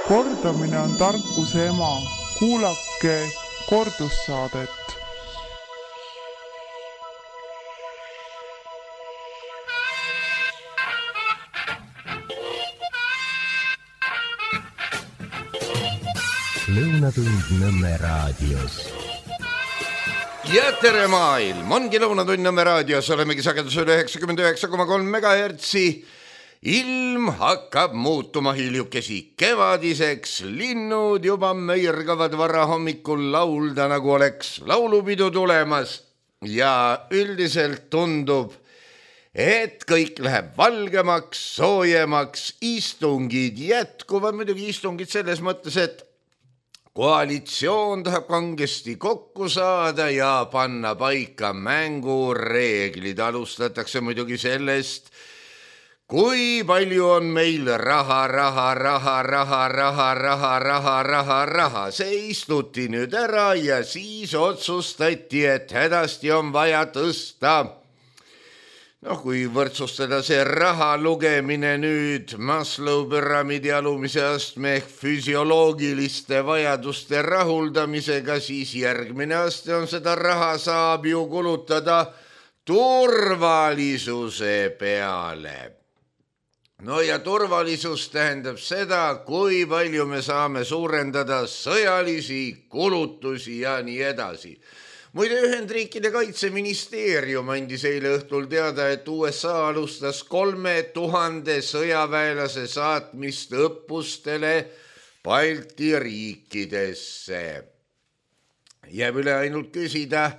Kordamine on tarkuse ema. Kuulake kordussaadet. Lõunatund Nõmme raadios. Ja tere maailm! Ongi Lõunatund Nõmme raadios. Olemegi sagedusel 99,3 megahertsi. Ilm hakkab muutuma hiljukesi kevadiseks. Linnud juba möirgavad varahommikul laulda, nagu oleks laulupidu tulemas. Ja üldiselt tundub, et kõik läheb valgemaks, soojemaks. Istungid jätkuvad, muidugi istungid selles mõttes, et koalitsioon tahab kangesti kokku saada ja panna paika mängureeglid. Alustatakse muidugi sellest, kui palju on meil raha. See istuti nüüd ära ja siis otsustati, et hädasti on vaja tõsta. Kui võrdsustada see raha lugemine nüüd Maslow püramiidi alumise astme ehk füsioloogiliste vajaduste rahuldamisega, siis järgmine aste on seda raha saab ju kulutada turvalisuse peale. Ja turvalisus tähendab seda, kui palju me saame suurendada sõjalisi kulutusi ja nii edasi. Muide, Ühendriikide kaitseministeerium andis eile õhtul teada, et USA alustas 3000 sõjaväelase saatmist õppustele Balti riikidesse. Jääb üle ainult küsida,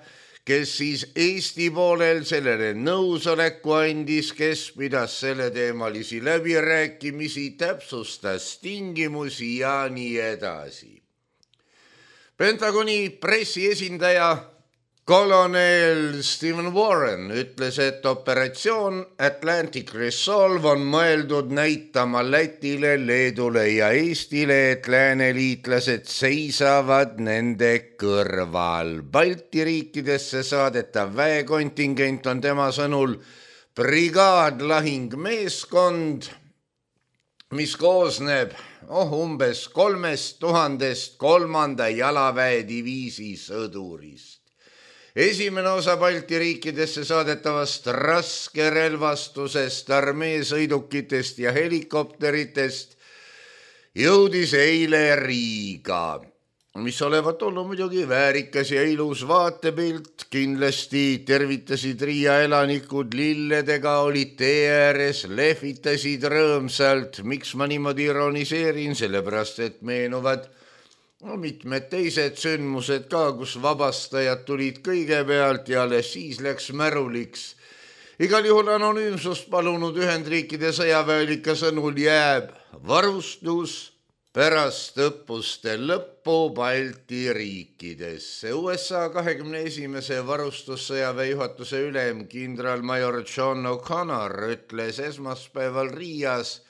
kes siis Eesti poolel sellele nõusoleku andis, kes pidas selle teemalisi läbirääkimisi, täpsustas tingimusi ja nii edasi. Pentagoni pressiesindaja kolonel Stephen Warren ütles, et operatsioon Atlantic Resolve on mõeldud näitama Lätile, Leedule ja Eestile, et lääneliitlased seisavad nende kõrval. Balti riikidesse saadetav väekontingent on tema sõnul brigaadlahingmeeskond, mis koosneb umbes 3000 3. jalaväediviisi sõdurist. Esimene osa Balti riikidesse saadetavast raskerelvastusest, armeesõidukitest ja helikopteritest jõudis eile Riiga, mis olevat olnud muidugi väärikas ja ilus vaatepilt. Kindlasti tervitasid Riia elanikud lilledega, olid tee ääres, lehvitasid rõõmsalt. Miks ma niimoodi ironiseerin? Sellepärast, et meenuvad mitmed teised sündmused ka, kus vabastajad tulid kõigepealt ja alles siis läks märuliks. Igal juhul anonüümsust palunud Ühendriikide sõjaväelike sõnul jääb varustus pärast õppuste lõppu Balti riikidesse. USA 21. varustussõjaväe juhatuse ülem kindralmajor John O'Connor ütles esmaspäeval Riias,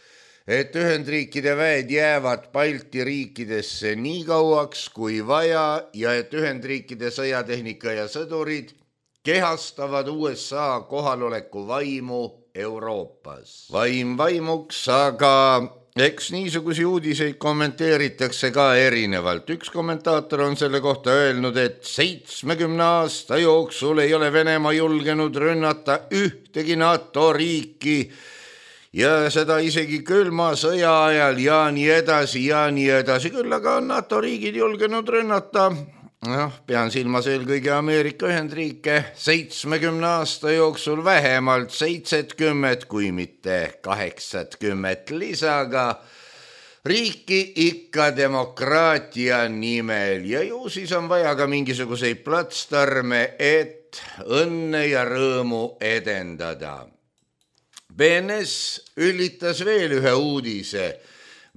et Ühendriikide väed jäävad Balti riikidesse nii kauaks kui vaja ja et Ühendriikide sõjatehnika ja sõdurid kehastavad USA kohaloleku vaimu Euroopas. Vaim vaimuks, aga eks niisugusi uudiseid kommenteeritakse ka erinevalt. Üks kommentaator on selle kohta öelnud, et 70 aasta jooksul ei ole Venemaa julgenud rünnata ühtegi NATO riiki ja seda isegi külma sõja ajal ja nii edasi. Küll aga on NATO riigid julgenud rünnata, pean silmas eelkõige Ameerika Ühendriike, 70 aasta jooksul vähemalt 70, kui mitte 80 lisaga riiki ikka demokraatia nimel ja ju siis on vaja ka mingisuguseid platsdarme, et õnne ja rõõmu edendada. BNS üllitas veel ühe uudise,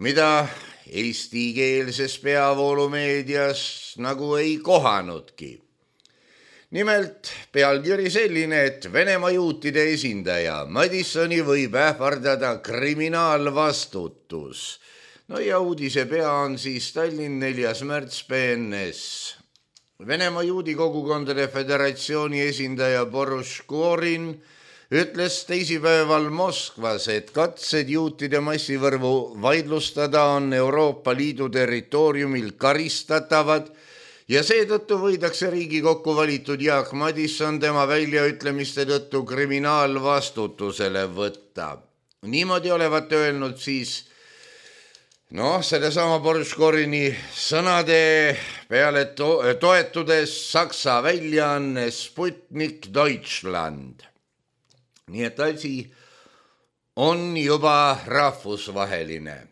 mida eestikeelses peavoolumeedias nagu ei kohanudki. Nimelt pealkiri selline, et Venemaa juutide esindaja Madissoni võib ähvardada kriminaalvastutus. Ja uudise pea on siis Tallinn 4. märts BNS. Venemaa juudi kogukondade föderatsiooni esindaja Boris Gorin ütles teisipäeval Moskvas, et katsed juutide massivõrvu vaidlustada on Euroopa Liidu territooriumil karistatavad ja seetõttu võidakse Riigikokku valitud Jaak Madison tema väljaütlemiste tõttu kriminaalvastutusele võtta. Niimoodi olevat öelnud siis sellesama Borškorini sõnade peale toetudes Saksa väljaanne Sputnik Deutschland. Nii et asi on juba rahvusvaheline.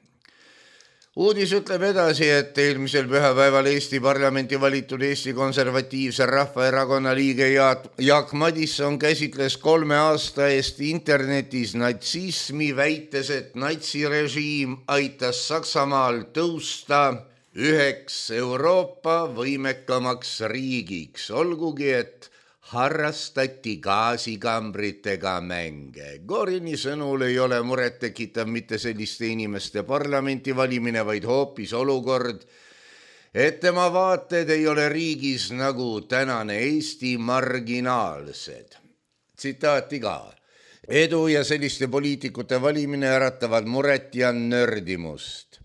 Uudis ütleb edasi, et eelmisel pühapäeval Eesti parlamenti valitud Eesti Konservatiivse Rahvaerakonna liige Jaak Madison käsitles 3 aasta eest internetis natsismi, väites, et natsirežiim aitas Saksamaal tõusta üheks Euroopa võimekamaks riigiks, olgugi et harrastati gaasikambritega mänge. Gorini sõnul ei ole muret tekitav mitte selliste inimeste parlamenti valimine, vaid hoopis olukord, et tema vaated ei ole riigis nagu tänane Eesti marginaalsed. Tsitaati ka. Edu ja selliste poliitikute valimine äratavad muret ja nördimust.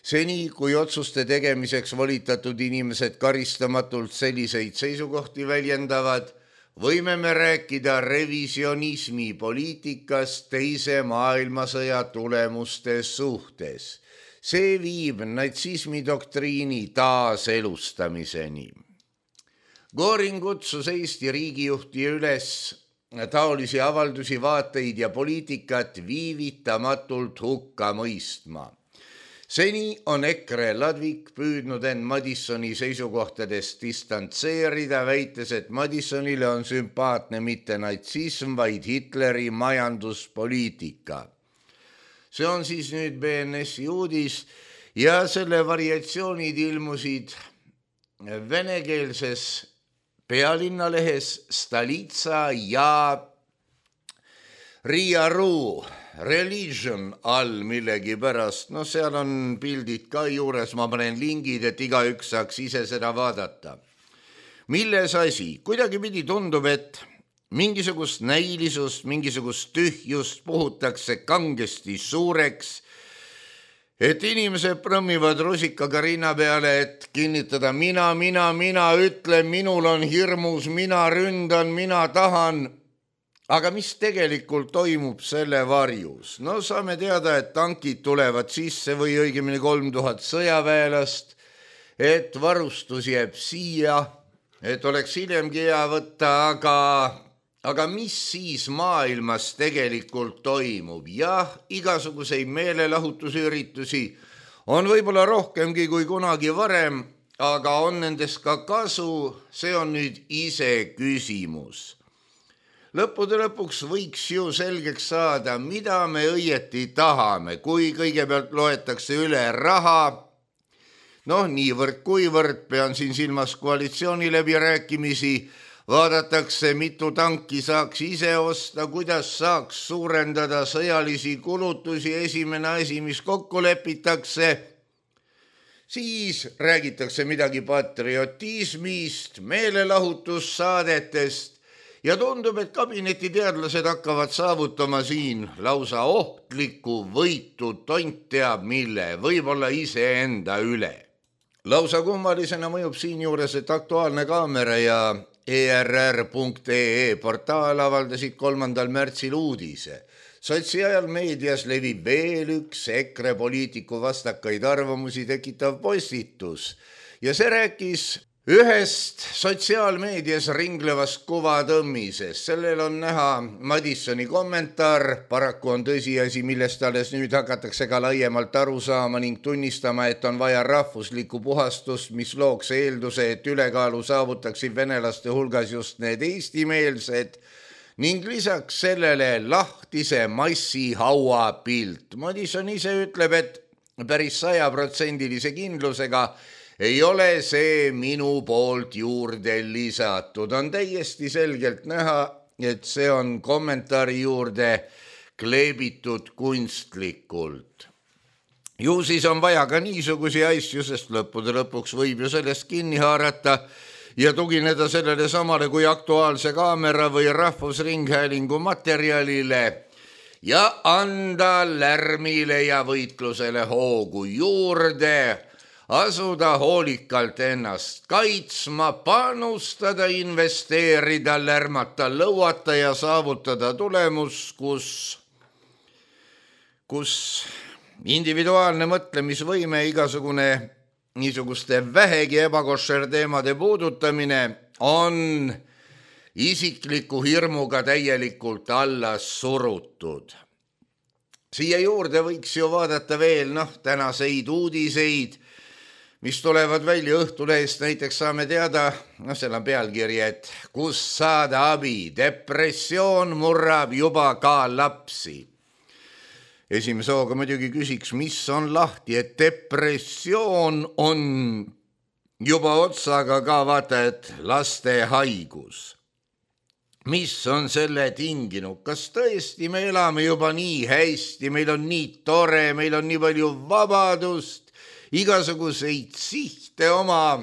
Seni, kui otsuste tegemiseks volitatud inimesed karistamatult selliseid seisukohti väljendavad, võime me rääkida revisionismi poliitikast teise maailmasõja tulemuste suhtes. See viib natsismi doktriini taaselustamiseni. Goring kutsus Eesti riigijuhti üles taolisi avaldusi, vaateid ja poliitikat viivitamatult hukka mõistma. Seni on EKRE Ladvik püüdnud end Madisoni seisukohtadest distantseerida, väites, et Madisonile on sümpaatne mitte natsism, vaid Hitleri majanduspoliitika. See on siis nüüd BNS-i uudis ja selle variatsioonid ilmusid venekeelses pealinnalehes Stolitsa ja Riia.ru Religion all millegi pärast. Seal on pildid ka juures, ma panen lingid, et igaüks saaks ise seda vaadata. Milles asi? Kuidagi pidi tundub, et mingisugust näilisust, mingisugust tühjust puhutakse kangesti suureks, et inimesed prõmmivad rusikaga rinna peale, et kinnitada mina, ütlen, minul on hirmus, mina ründan, mina tahan. Aga mis tegelikult toimub selle varjus? Saame teada, et tankid tulevad sisse või õigemini 3000 sõjaväelast, et varustus jääb siia, et oleks hiljemgi hea võtta, aga mis siis maailmas tegelikult toimub? Jah, igasuguseid meelelahutusüritusi on võib-olla rohkemgi kui kunagi varem, aga on nendest ka kasu, see on nüüd ise küsimus. Lõppude lõpuks võiks ju selgeks saada, mida me õieti tahame, kui kõigepealt loetakse üle raha. Niivõrd kuivõrd, pean siin silmas koalitsiooni läbirääkimisi, vaadatakse, mitu tanki saaks ise osta, kuidas saaks suurendada sõjalisi kulutusi, esimene asi, mis kokku lepitakse. Siis räägitakse midagi patriotismist, meelelahutussaadetest, ja tundub, et kabinetiteadlased hakkavad saavutama siin lausa ohtlikku võitu, tont teab mille, võib-olla iseenda üle. Lausa kummalisena mõjub siinjuures, et Aktuaalne Kaamera ja ERR.ee portaal avaldasid 3. märtsil uudise. Sotsiaalmeedias levib veel üks EKRE poliitiku vastakaid arvamusi tekitav postitus ja see rääkis ühest sotsiaalmeedias ringlevast kuvatõmmisest. Sellel on näha Madisoni kommentaar, paraku on tõsiasi, millest alles nüüd hakatakse ka laiemalt aru saama ning tunnistama, et on vaja rahvuslikku puhastust, mis looks eelduse, et ülekaalu saavutaksid venelaste hulgas just need eestimeelsed ning lisaks sellele lahtise massi hauapilt. Madison ise ütleb, et päris 100% kindlusega ei ole see minu poolt juurde lisatud. On täiesti selgelt näha, et see on kommentaari juurde kleebitud kunstlikult. Ju siis on vaja ka niisugusi asju, sest lõppude lõpuks võib ju sellest kinni haarata ja tugineda sellele samale kui Aktuaalse Kaamera või Rahvusringhäälingu materjalile ja anda lärmile ja võitlusele hoogu juurde, asuda hoolikalt ennast kaitsma, panustada, investeerida, lärmata, lõuata ja saavutada tulemus, kus individuaalne mõtlemisvõime, igasugune niisuguste vähegi ebakoššer teemade puudutamine on isikliku hirmuga täielikult alla surutud. Siia juurde võiks ju vaadata veel tänaseid uudiseid, mis tulevad välja Õhtulehest, näiteks saame teada, seal on pealkiri, et kus saada abi, depressioon murrab juba ka lapsi. Esimese hooga muidugi küsiks, mis on lahti, et depressioon on juba otsaga ka vaata, et laste haigus. Mis on selle tinginud? Kas tõesti me elame juba nii hästi, meil on nii tore, meil on nii palju vabadust, igasuguseid sihte oma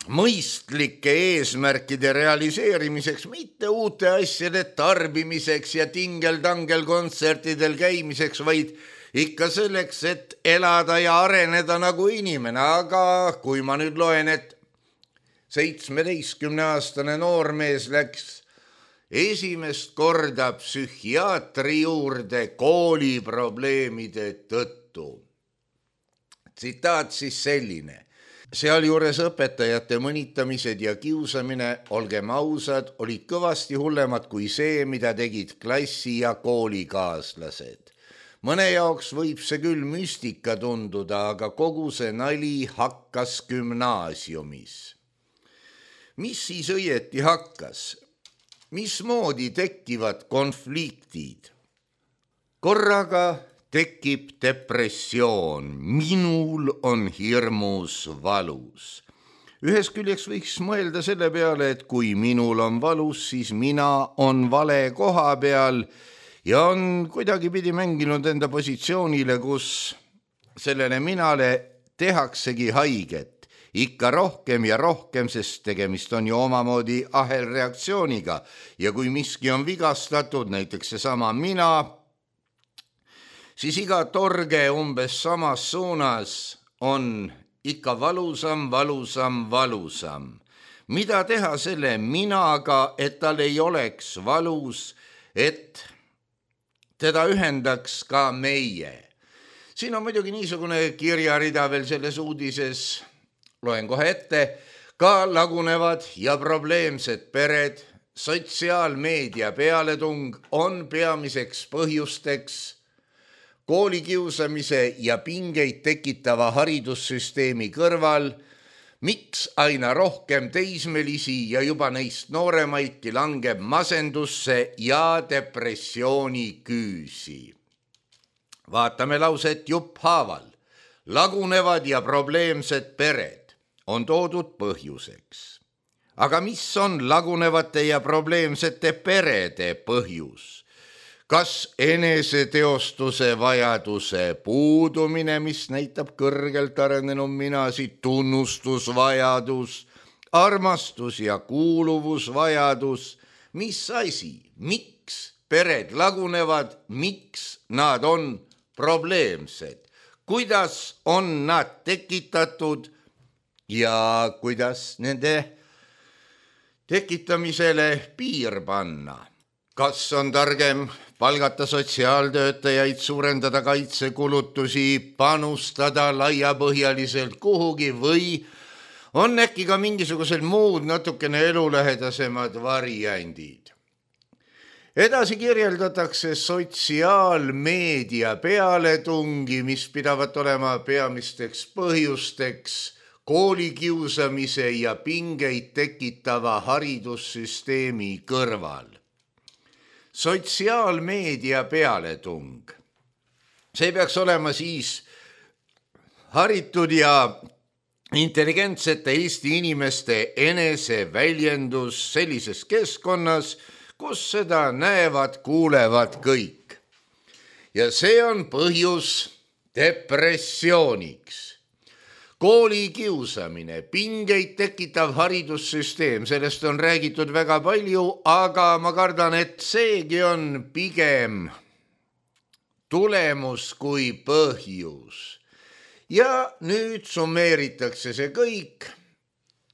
mõistlike eesmärkide realiseerimiseks, mitte uute asjade tarbimiseks ja tingel-tangel kontsertidel käimiseks, vaid ikka selleks, et elada ja areneda nagu inimene. Aga kui ma nüüd loen, et 17-aastane noormees läks esimest korda psühhiaatri juurde kooliprobleemide tõttu. Tsitaat siis selline. Sealjuures õpetajate mõnitamised ja kiusamine, olgem ausad, olid kõvasti hullemad kui see, mida tegid klassi- ja koolikaaslased. Mõne jaoks võib see küll müstika tunduda, aga kogu see nali hakkas gümnaasiumis. Mis siis õieti hakkas? Mismoodi tekivad konfliktid? Korraga tekib depressioon, minul on hirmus valus. Ühes küljeks võiks mõelda selle peale, et kui minul on valus, siis mina on vale koha peal ja on kuidagi pidi mänginud enda positsioonile, kus sellele minale tehaksegi haiget. Ikka rohkem ja rohkem, sest tegemist on ju omamoodi ahelreaktsiooniga ja kui miski on vigastatud, näiteks seesama mina, siis iga torge umbes samas suunas on ikka valusam. Mida teha selle minaga, et tal ei oleks valus, et teda ühendaks ka meie? Siin on muidugi niisugune kirjarida veel selles uudises, loen kohe ette, ka lagunevad ja probleemsed pered, sotsiaalmeedia pealetung on peamiseks põhjusteks koolikiusamise ja pingeid tekitava haridussüsteemi kõrval, miks aina rohkem teismelisi ja juba neist nooremaidki langeb masendusse ja depressiooni küüsi. Vaatame lauset jupphaaval. Lagunevad ja probleemsed pered on toodud põhjuseks. Aga mis on lagunevate ja probleemsete perede põhjus? Kas eneseteostuse vajaduse puudumine, mis näitab kõrgelt arenenud minasid, tunnustusvajadus, armastus ja kuuluvusvajadus, mis asi, miks pered lagunevad, miks nad on probleemsed, kuidas on nad tekitatud ja kuidas nende tekitamisele piir panna? Kas on targem palgata sotsiaaltöötajaid, suurendada kaitsekulutusi, panustada laiapõhjaliselt kuhugi või on äkki ka mingisugused muud natukene elulähedasemad variandid? Edasi kirjeldatakse sotsiaalmeedia pealetungi, mis pidavat olema peamisteks põhjusteks koolikiusamise ja pingeid tekitava haridussüsteemi kõrval. Sotsiaalmeedia pealetung. See peaks olema siis haritud ja intelligentsete Eesti inimeste eneseväljendus sellises keskkonnas, kus seda näevad, kuulevad kõik. Ja see on põhjus depressiooniks. Kooli kiusamine, pingeid tekitav haridussüsteem, sellest on räägitud väga palju, aga ma kardan, et seegi on pigem tulemus kui põhjus. Ja nüüd summeeritakse see kõik,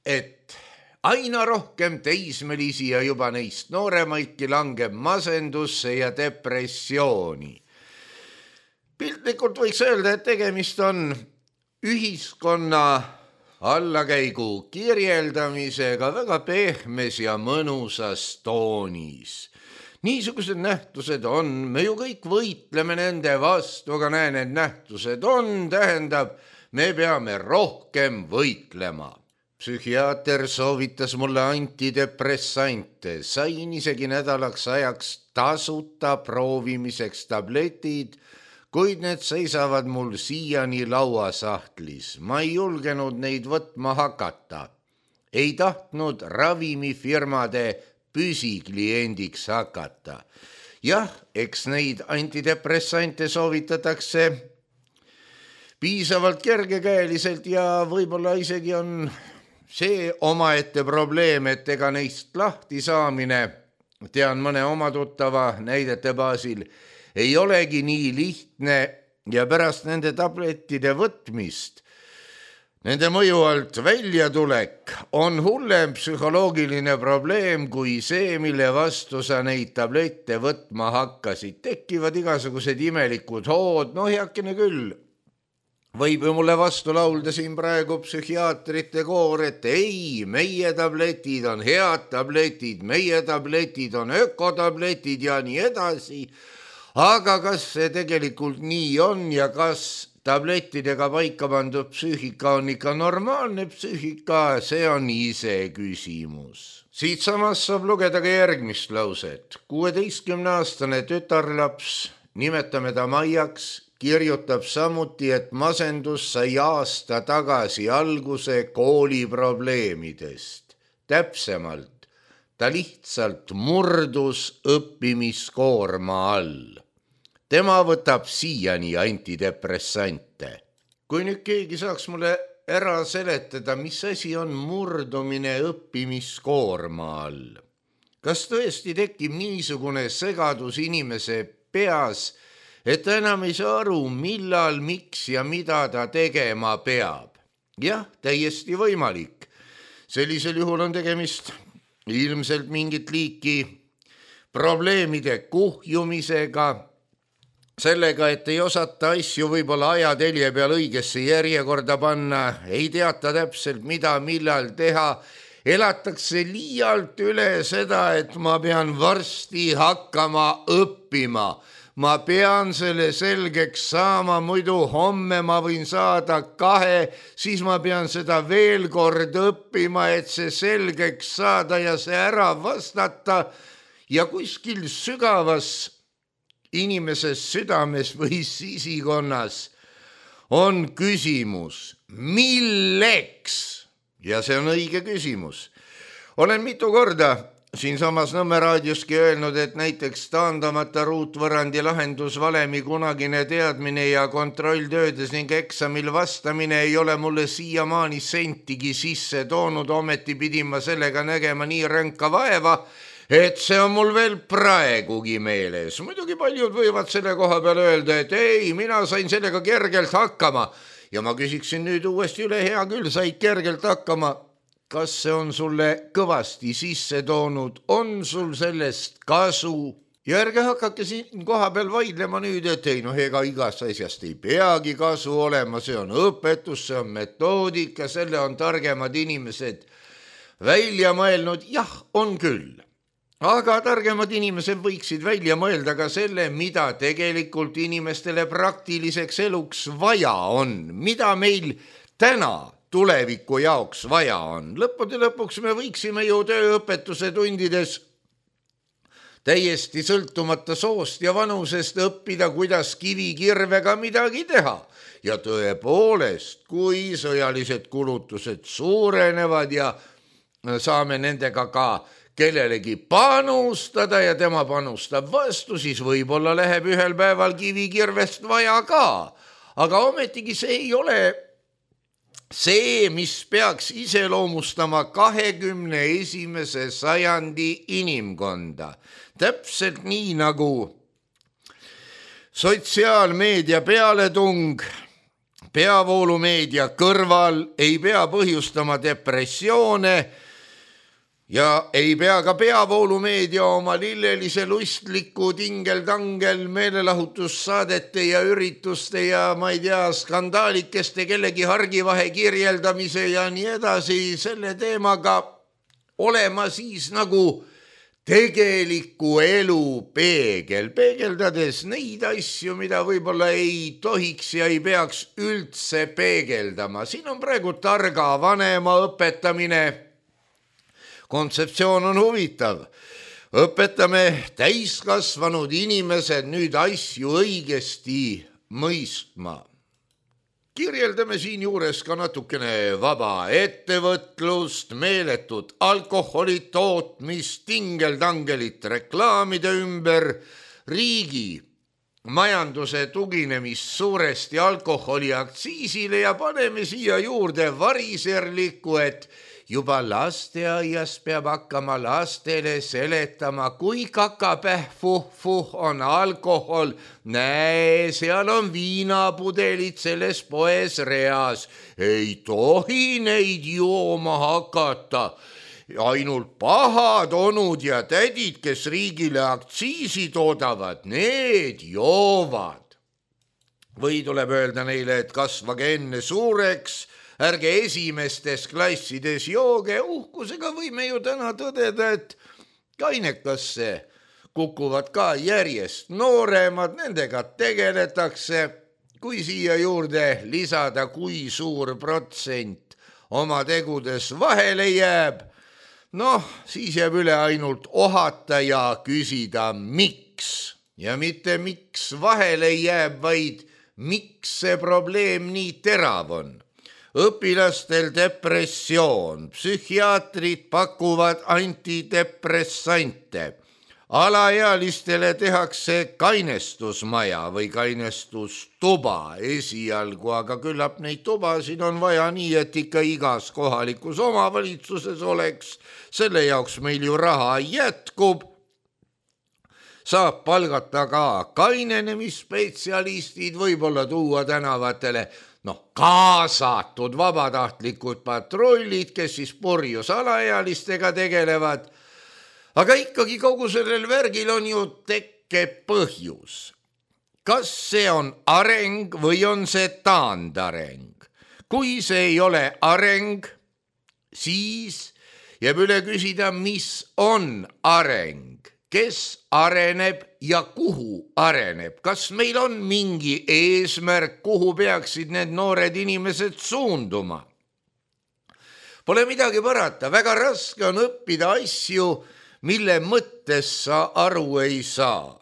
et aina rohkem teismelisi ja juba neist nooremaidki langeb masendusse ja depressiooni. Piltlikult võiks öelda, et tegemist on ühiskonna allakäigu kirjeldamisega väga pehmes ja mõnusas toonis. Niisugused nähtused on, me ju kõik võitleme nende vastu, aga näe, need nähtused on, tähendab, me peame rohkem võitlema. Psühhiaater soovitas mulle antidepressante, sain isegi nädalaks ajaks tasuta proovimiseks tabletid, kuid need seisavad mul siiani lauasahtlis. Ma ei julgenud neid võtma hakata. Ei tahtnud ravimifirmade püsikliendiks hakata. Jah, eks neid antidepressante soovitatakse piisavalt kergekäeliselt ja võib-olla isegi on see omaette probleem, et ega neist lahti saamine, tean mõne oma tuttava näidete baasil, ei olegi nii lihtne ja pärast nende tablettide võtmist, nende mõju alt väljatulek on hullem psühholoogiline probleem kui see, mille vastu sa neid tablette võtma hakkasid. Tekivad igasugused imelikud hood, heakene küll. Võib ju mulle vastu laulda siin praegu psühhiaatrite koor, et ei, meie tabletid on head tabletid, meie tabletid on ökotabletid ja nii edasi. Aga kas see tegelikult nii on ja kas tablettidega paika pandud psüühika on ikka normaalne psüühika, see on ise küsimus. Siit samas saab lugeda ka järgmist lauset. 16-aastane tütarlaps, nimetame ta Maiaks, kirjutab samuti, et masendus sai aasta tagasi alguse kooliprobleemidest. Täpsemalt, ta lihtsalt murdus õppimiskoorma all. Tema võtab siiani antidepressante. Kui nüüd keegi saaks mulle ära seletada, mis asi on murdumine õppimiskoorma all? Kas tõesti tekib niisugune segadus inimese peas, et ta enam ei saa aru, millal, miks ja mida ta tegema peab? Jah, täiesti võimalik. Sellisel juhul on tegemist ilmselt mingit liiki probleemide kuhjumisega, sellega, et ei osata asju võib-olla ajatelje peal õigesse järjekorda panna, ei teata täpselt mida, millal teha, elatakse liialt üle seda, et ma pean varsti hakkama õppima. Ma pean selle selgeks saama, muidu homme ma võin saada 2, siis ma pean seda veel kord õppima, et see selgeks saada ja see ära vastata ja kuskil sügavas inimeses südames või sisikonnas on küsimus, milleks? Ja see on õige küsimus. Olen mitu korda siinsamas Nõmme raadioski öelnud, et näiteks taandamata ruutvõrrandi lahendusvalemi kunagine teadmine ja kontrolltöödes ning eksamil vastamine ei ole mulle siiamaani sentigi sisse toonud, ometi pidin ma sellega nägema nii ränka vaeva, et see on mul veel praegugi meeles. Muidugi paljud võivad selle koha peal öelda, et ei, mina sain sellega kergelt hakkama. Ja ma küsiksin nüüd uuesti üle, hea küll, said kergelt hakkama. Kas see on sulle kõvasti sisse toonud? On sul sellest kasu? Ja ärge hakake siin koha peal vaidlema nüüd, et ei, ega igast asjast ei peagi kasu olema. See on õpetus, see on metoodika, selle on targemad inimesed välja mõelnud. Jah, on küll. Aga targemad inimesed võiksid välja mõelda ka selle, mida tegelikult inimestele praktiliseks eluks vaja on, mida meil täna tuleviku jaoks vaja on. Lõppude lõpuks me võiksime ju tööõpetuse tundides täiesti sõltumata soost ja vanusest õppida, kuidas kivikirvega midagi teha. Ja tõepoolest, kui sõjalised kulutused suurenevad ja saame nendega ka kellelegi panustada ja tema panustab vastu, siis võib-olla läheb ühel päeval kivikirvest vaja ka. aga ometigi see ei ole see, mis peaks iseloomustama 21. sajandi inimkonda. Täpselt nii nagu sotsiaalmeedia pealetung peavoolumeedia kõrval ei pea põhjustama depressioone ja ei pea ka peavoolumeedia oma lillelise lustliku tingeltangel meelelahutussaadete ja ürituste ja ma ei tea, skandaalikeste kellegi hargivahe kirjeldamise ja nii edasi selle teemaga olema siis nagu tegeliku elu peegel, peegeldades neid asju, mida võib-olla ei tohiks ja ei peaks üldse peegeldama. Siin on praegu targa vanema õpetamine. Kontseptsioon on huvitav. Õpetame täiskasvanud inimesed nüüd asju õigesti mõistma. Kirjeldame siin juures ka natukene vaba ettevõtlust, meeletut alkoholi tootmist, tingeltangelit reklaamide ümber, riigi majanduse tuginemist suuresti alkoholiaktsiisile ja paneme siia juurde variserlikku, et juba lasteaias peab hakkama lastele seletama, kui kakapäh fuh on alkohol. Näe, seal on viinapudelid selles poes reas. Ei tohi neid jooma hakata. Ainult pahad onud ja tädid, kes riigile aktsiisi toodavad, need joovad. Või tuleb öelda neile, et kasvage enne suureks, ärge esimestes klassides jooge. Uhkusega võime ju täna tõdeda, et kainekasse kukuvad ka järjest nooremad, nendega tegeletakse. Kui siia juurde lisada, kui suur protsent oma tegudes vahele jääb, siis jääb üle ainult ohata ja küsida miks. Ja mitte miks vahele jääb, vaid miks see probleem nii terav on. Õpilastel depressioon, psühhiaatrid pakuvad antidepressante, alaealistele tehakse kainestusmaja või kainestustuba esialgu, aga küllap neid tubasid on vaja nii, et ikka igas kohalikus omavalitsuses oleks, selle jaoks meil ju raha jätkub. Saab palgata ka kainenemisspetsialistid, võib-olla tuua tänavatele kaasatud vabatahtlikud patrullid, kes siis purjus alaealistega tegelevad. Aga ikkagi kogu sellel värgil on ju tekkepõhjus. Kas see on areng või on see taandareng? Kui see ei ole areng, siis jääb üle küsida, mis on areng? Kes areneb ja kuhu areneb? Kas meil on mingi eesmärk, kuhu peaksid need noored inimesed suunduma? Pole midagi parata, väga raske on õppida asju, mille mõttes sa aru ei saa.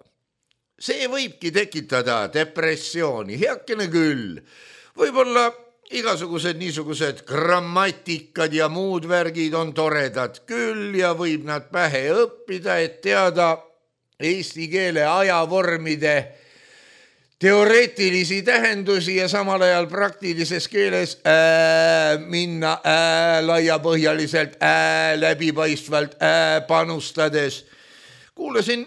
See võibki tekitada depressiooni, heakene küll. Võib-olla igasugused niisugused grammatikad ja muud värgid on toredad küll ja võib nad pähe õppida, et teada eesti keele ajavormide teoreetilisi tähendusi ja samal ajal praktilises keeles minna laiapõhjaliselt, läbipaistvalt panustades. Kuulasin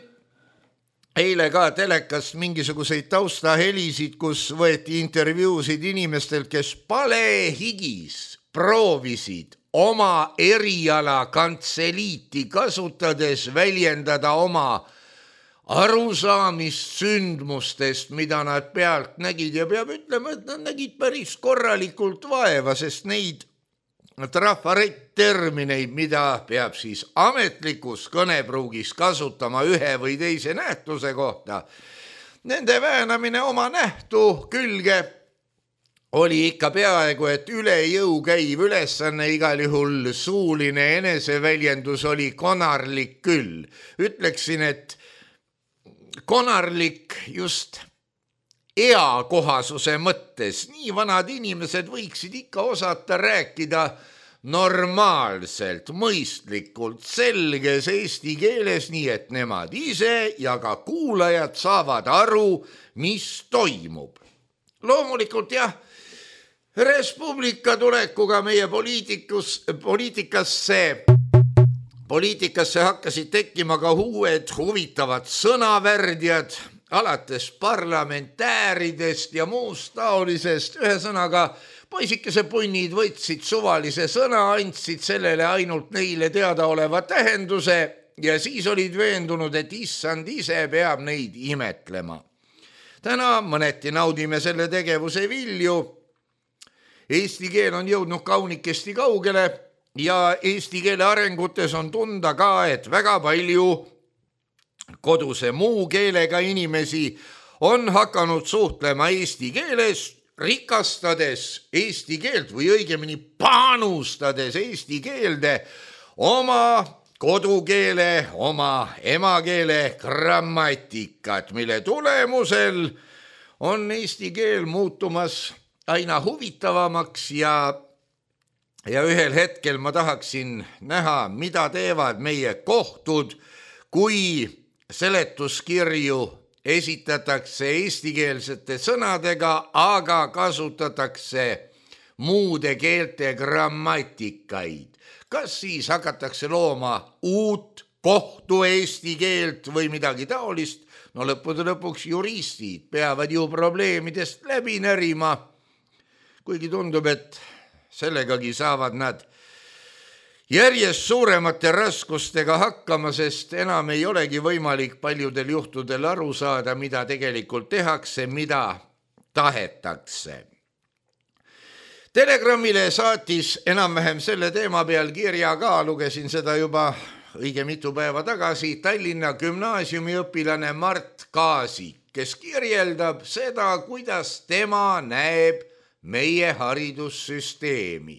eile ka telekast mingisuguseid taustahelisid, kus võeti intervjuusid inimestelt, kes palehigis proovisid oma eriala kantseliiti kasutades väljendada oma arusaamist sündmustest, mida nad pealt nägid ja peab ütlema, et nad nägid päris korralikult vaeva, sest neid trafaretttermineid, mida peab siis ametlikus kõnepruugis kasutama ühe või teise nähtuse kohta. Nende väänamine oma nähtu külge oli ikka peaaegu, et üle jõu käiv ülesanne, igal juhul suuline eneseväljendus oli konarlik küll. Ütleksin, et konarlik just eakohasuse mõttes. Nii vanad inimesed võiksid ikka osata rääkida normaalselt, mõistlikult, selges eesti keeles, nii et nemad ise ja ka kuulajad saavad aru, mis toimub. loomulikult jah, Res Publica tulekuga meie poliitikasse hakkasid tekkima ka uued huvitavad sõnavärdjad, alates parlamentääridest ja muust taolisest. Ühesõnaga, poisikese punnid võtsid suvalise sõna, andsid sellele ainult neile teada oleva tähenduse ja siis olid veendunud, et issand ise peab neid imetlema. Täna mõneti naudime selle tegevuse vilju. Eesti keel on jõudnud kaunikesti kaugele ja eesti keele arengutes on tunda ka, et väga palju koduse muu keelega inimesi on hakanud suhtlema eesti keeles, rikastades eesti keelt või õigemini panustades eesti keelde oma kodukeele, oma emakeele grammatikat, mille tulemusel on eesti keel muutumas aina huvitavamaks ja ühel hetkel ma tahaksin näha, mida teevad meie kohtud, kui seletuskirju esitatakse eestikeelsete sõnadega, aga kasutatakse muude keelte grammatikaid. Kas siis hakatakse looma uut kohtu eesti keelt või midagi taolist? No lõppude lõpuks juristid peavad ju probleemidest läbi närima, kuigi tundub, et sellegagi saavad nad järjest suuremate raskustega hakkama, sest enam ei olegi võimalik paljudel juhtudel aru saada, mida tegelikult tehakse, mida tahetakse. Telegramile saatis enam-vähem selle teema peal kirja ka, lugesin seda juba õige mitu päeva tagasi, Tallinna gümnaasiumi õpilane Mart Kaasik, kes kirjeldab seda, kuidas tema näeb meie haridussüsteemi.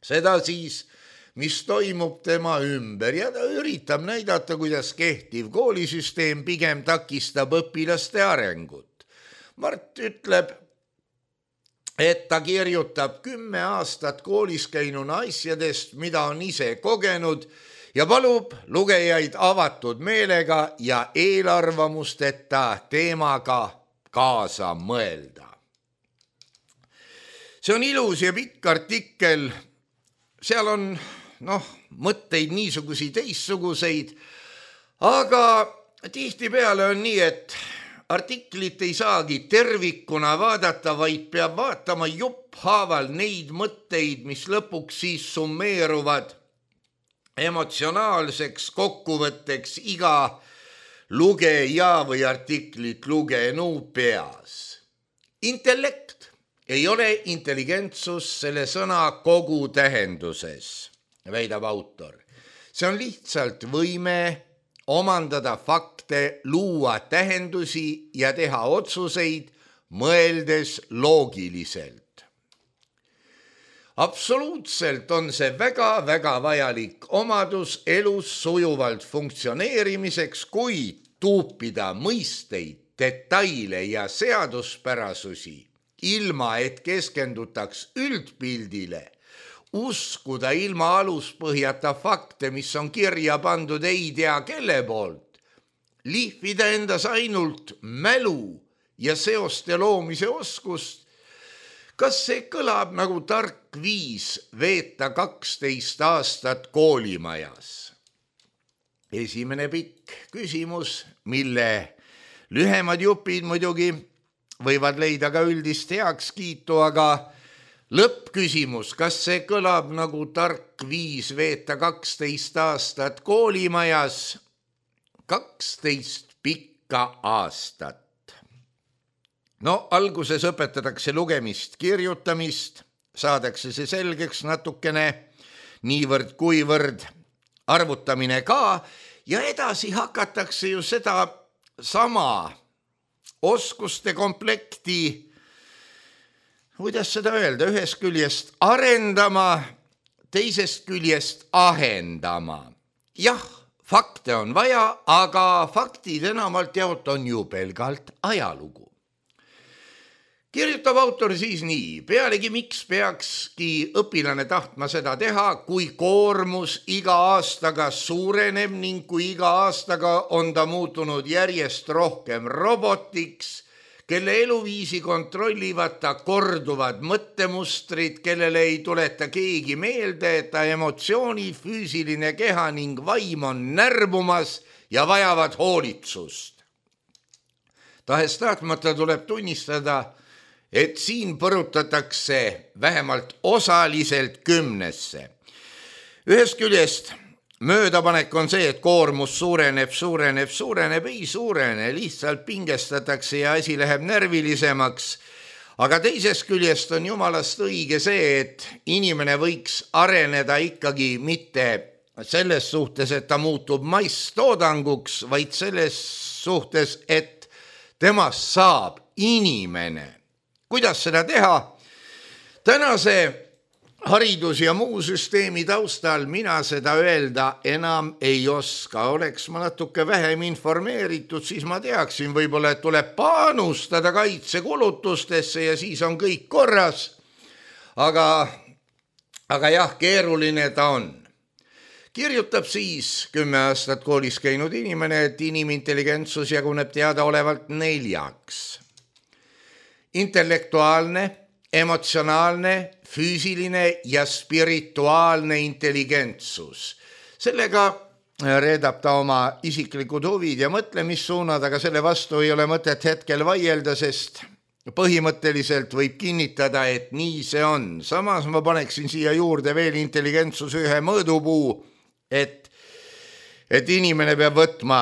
Seda siis, mis toimub tema ümber ja ta üritab näidata, kuidas kehtiv koolisüsteem pigem takistab õpilaste arengut. Mart ütleb, et ta kirjutab 10 aastat koolis käinuna asjadest, mida on ise kogenud ja palub lugejaid avatud meelega ja eelarvamusteta teemaga kaasa mõelda. See on ilus ja pikk artikkel, seal on mõtteid niisuguseid teistsuguseid, aga tihtipeale on nii, et artiklit ei saagi tervikuna vaadata, vaid peab vaatama jupphaaval neid mõtteid, mis lõpuks siis summeeruvad emotsionaalseks kokkuvõtteks iga lugeja või artiklit lugenu peas. Intellekt ei ole intelligentsus selle sõna kogu tähenduses, väidab autor. See on lihtsalt võime omandada fakte, luua tähendusi ja teha otsuseid, mõeldes loogiliselt. Absoluutselt on see väga-väga vajalik omadus elus sujuvalt funktsioneerimiseks, kuid tuupida mõisteid, detaile ja seaduspärasusi, ilma et keskendutaks üldpildile, uskuda ilma aluspõhjata fakte, mis on kirja pandud ei tea kelle poolt, lihvida endas ainult mälu ja seoste loomise oskust. Kas see kõlab nagu tark viis veeta 12 aastat koolimajas? Esimene pikk küsimus, mille lühemad jupid muidugi võivad leida ka üldist heakskiitu, aga lõppküsimus, kas see kõlab nagu tark viis veeta 12 aastat koolimajas? 12 pikka aastat. No alguses õpetatakse lugemist, kirjutamist, saadakse see selgeks natukene, niivõrd kuivõrd arvutamine ka ja edasi hakatakse ju seda sama oskuste komplekti, kuidas seda öelda, ühest küljest arendama, teisest küljest ahendama. Jah, fakte on vaja, aga faktid enamalt jaolt on ju pelgalt ajalugu. Kirjutab autor siis nii, pealegi miks peakski õpilane tahtma seda teha, kui koormus iga aastaga suureneb ning kui iga aastaga on ta muutunud järjest rohkem robotiks, kelle eluviisi kontrollivad ta korduvad mõttemustrid, kellele ei tuleta keegi meelde, et ta emotsiooni, füüsiline keha ning vaim on närbumas ja vajavad hoolitsust. Tahes-tahtmata tuleb tunnistada, et siin põrutatakse vähemalt osaliselt 10. Ühest küljest möödapanek on see, et koormus suureneb, ei suurene, lihtsalt pingestatakse ja asi läheb närvilisemaks. Aga teisest küljest on jumalast õige see, et inimene võiks areneda ikkagi mitte selles suhtes, et ta muutub masstoodanguks, vaid selles suhtes, et temast saab inimene. Kuidas seda teha? Tänase haridus- ja muu süsteemi taustal mina seda öelda enam ei oska. Oleks ma natuke vähem informeeritud, siis ma teaksin võib-olla, et tuleb panustada kaitsekulutustesse ja siis on kõik korras. Aga jah, keeruline ta on. Kirjutab siis 10 aastat koolis käinud inimene, et inimintelligentsus jaguneb teadaolevalt 4. Intellektuaalne, emotsionaalne, füüsiline ja spirituaalne intelligentsus. Sellega reedab ta oma isiklikud huvid ja mõtlemissuunad, aga selle vastu ei ole mõtet hetkel vaielda, sest põhimõtteliselt võib kinnitada, et nii see on. Samas ma paneksin siia juurde veel intelligentsus ühe mõõdupuu, et inimene peab võtma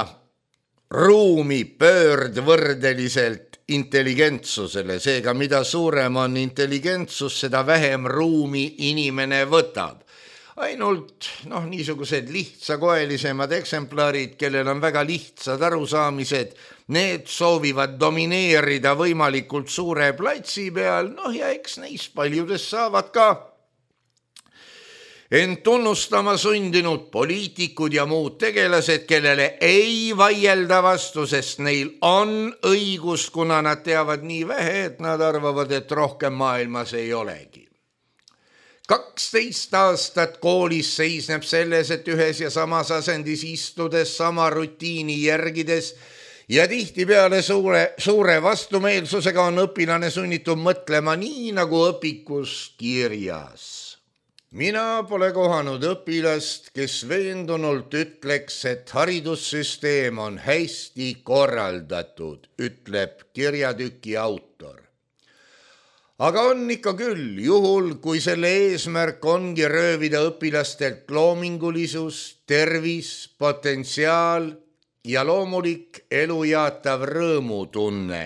ruumi pöördvõrdeliselt intelligentsusele, seega mida suurem on intelligentsus, seda vähem ruumi inimene võtab. Ainult niisugused lihtsakoelisemad eksemplarid, kellel on väga lihtsad arusaamised, need soovivad domineerida võimalikult suure platsi peal, ja eks neist paljudest saavad ka ent tunnustama sundinud poliitikud ja muud tegelased, kellele ei vaielda vastu, sest neil on õigus, kuna nad teavad nii vähe, et nad arvavad, et rohkem maailmas ei olegi. 12 aastat koolis seisneb selles, et ühes ja samas asendis istudes, sama rutiini järgides ja tihtipeale suure vastumeelsusega on õpilane sunnitud mõtlema nii, nagu õpikus kirjas. Mina pole kohanud õpilast, kes veendunult ütleks, et haridussüsteem on hästi korraldatud, ütleb kirjatüki autor. Aga on ikka küll, juhul kui selle eesmärk ongi röövida õpilastelt loomingulisus, tervis, potentsiaal ja loomulik elujaatav rõõmutunne,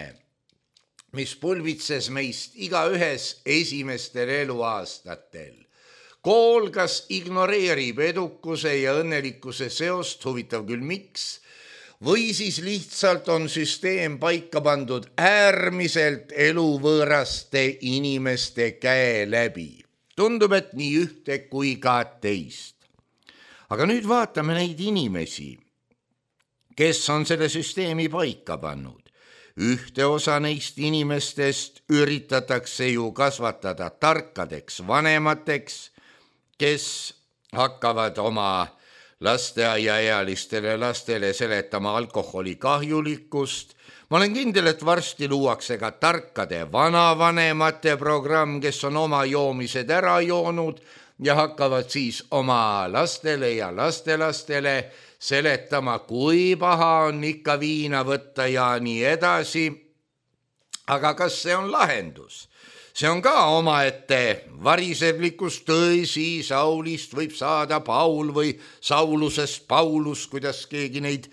mis pulbitses meist igaühes esimestel eluaastatel. Kool kas ignoreerib edukuse ja õnnelikkuse seost, huvitav küll miks, või siis lihtsalt on süsteem paika pandud äärmiselt eluvõõraste inimeste käe läbi. Tundub, et nii ühte kui ka teist. Aga nüüd vaatame neid inimesi, kes on selle süsteemi paika pannud. Ühte osa neist inimestest üritatakse ju kasvatada tarkadeks vanemateks, kes hakkavad oma lasteaiaealistele lastele seletama alkoholi kahjulikkust. Ma olen kindel, et varsti luuakse ka tarkade vanavanemate programm, kes on oma joomised ära joonud ja hakkavad siis oma lastele ja lastelastele seletama, kui paha on ikka viina võtta ja nii edasi. Aga kas see on lahendus? See on ka omaette variseblikust, tõsi, Saulist võib saada Paul või Saulusest Paulus, kuidas keegi neid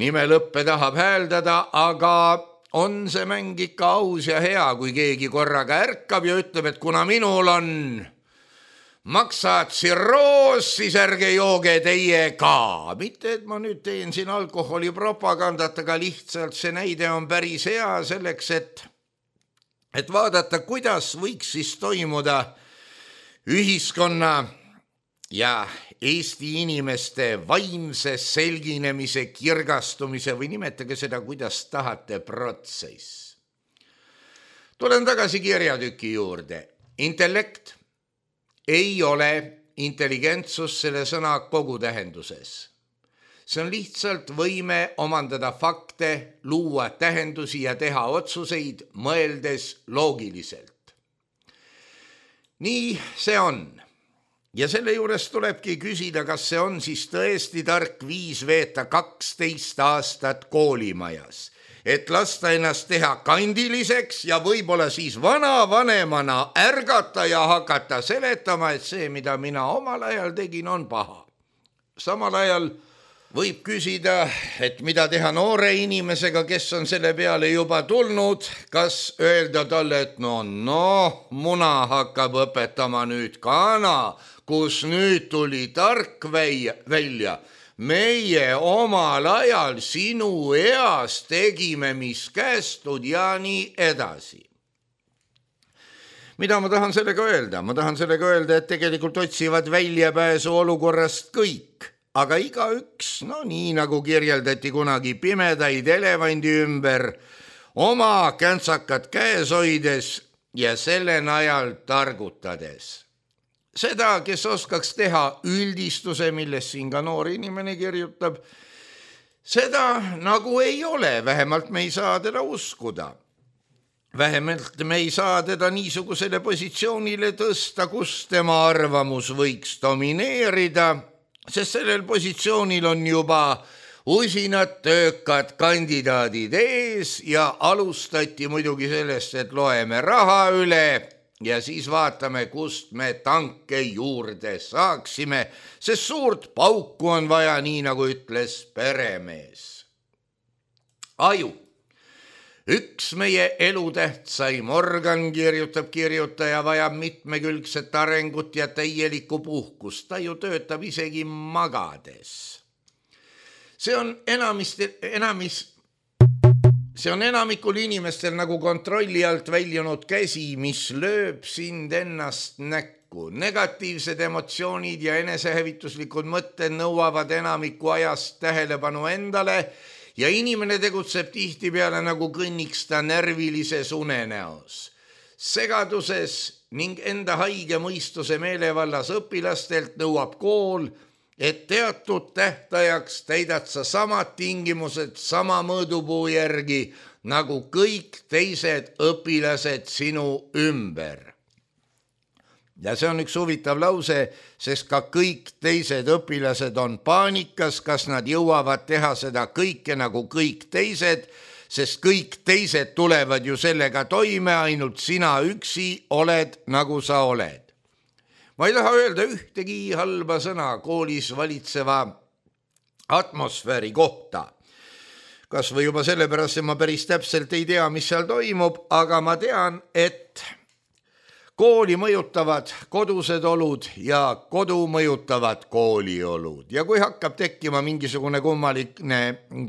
nimelõppe tahab hääldada, aga on see mäng ikka aus ja hea, kui keegi korraga ärkab ja ütleb, et kuna minul on maksatsirroos, siis ärge jooge teie ka. Mitte, et ma nüüd teen siin alkoholipropagandat, aga lihtsalt see näide on päris hea selleks, et vaadata, kuidas võiks siis toimuda ühiskonna ja Eesti inimeste vaimse selginemise, kirgastumise või nimetage seda, kuidas tahate, protsess. Tulen tagasi kirjatüki juurde. Intellekt ei ole intelligentsus selle sõna kogu tähenduses. See on lihtsalt võime omandada fakte, luua tähendusi ja teha otsuseid, mõeldes loogiliselt. Nii see on. Ja selle juures tulebki küsida, kas see on siis tõesti tark viis veeta 12 aastat koolimajas, et lasta ennast teha kandiliseks ja võib-olla siis vanavanemana ärgata ja hakata seletama, et see, mida mina omal ajal tegin, on paha. Samal ajal võib küsida, et mida teha noore inimesega, kes on selle peale juba tulnud, kas öelda talle, et muna hakkab õpetama nüüd kana, kus nüüd tuli tark välja. Meie omal ajal sinu eas tegime, mis kästud ja nii edasi. Mida ma tahan sellega öelda? Ma tahan sellega öelda, et tegelikult otsivad väljapääsu olukorrast kõik. Aga igaüks, nii nagu kirjeldati kunagi pimedaid elevandi ümber, oma käntsakat käes hoides ja selle najal targutades. Seda, kes oskaks teha üldistuse, millest siin ka noor inimene kirjutab, seda nagu ei ole, vähemalt me ei saa teda uskuda. Vähemalt me ei saa teda niisugusele positsioonile tõsta, kus tema arvamus võiks domineerida, sest sellel positsioonil on juba usinad töökad kandidaadid ees ja alustati muidugi sellest, et loeme raha üle ja siis vaatame, kust me tanke juurde saaksime, sest suurt pauku on vaja, nii nagu ütles peremees. Aju. Üks meie elutähtsaim organ, kirjutab kirjutaja, vajab mitmekülgset arengut ja täielikku puhkust. Ta ju töötab isegi magades. See on enamikul inimestel nagu kontrolli alt väljunud käsi, mis lööb sind ennast näkku. Negatiivsed emotsioonid ja enesehävituslikud mõtted nõuavad enamiku ajast tähelepanu endale ja inimene tegutseb tihtipeale nagu kõnniks ta närvilises unenäos. Segaduses ning enda haige mõistuse meelevallas õpilastelt nõuab kool, et teatud tähtajaks täidad sa samad tingimused sama mõõdupuu järgi nagu kõik teised õpilased sinu ümber. Ja see on üks huvitav lause, sest ka kõik teised õpilased on paanikas, kas nad jõuavad teha seda kõike nagu kõik teised, sest kõik teised tulevad ju sellega toime, ainult sina üksi oled nagu sa oled. Ma ei taha öelda ühtegi halba sõna koolis valitseva atmosfääri kohta. Kas või juba sellepärast, et ma päris täpselt ei tea, mis seal toimub, aga ma tean, et kooli mõjutavad kodused olud ja kodu mõjutavad kooliolud. Ja kui hakkab tekkima mingisugune kummaline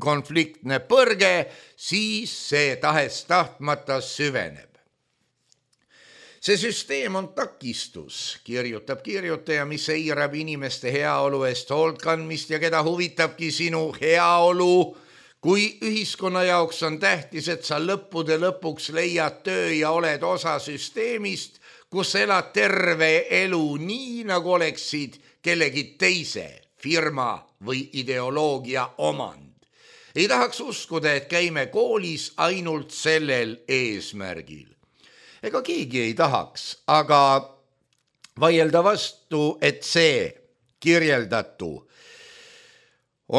konfliktne põrge, siis see tahes-tahtmata süveneb. See süsteem on takistus, kirjutab kirjutaja, mis eirab inimeste heaolu eest hoolt kandmist ja keda huvitabki sinu heaolu, kui ühiskonna jaoks on tähtis, et sa lõppude lõpuks leiad töö ja oled osa süsteemist, kus elad terve elu nii, nagu oleksid kellegi teise firma või ideoloogia omand. Ei tahaks uskuda, et käime koolis ainult sellel eesmärgil. Ega keegi ei tahaks, aga vaielda vastu, et see kirjeldatu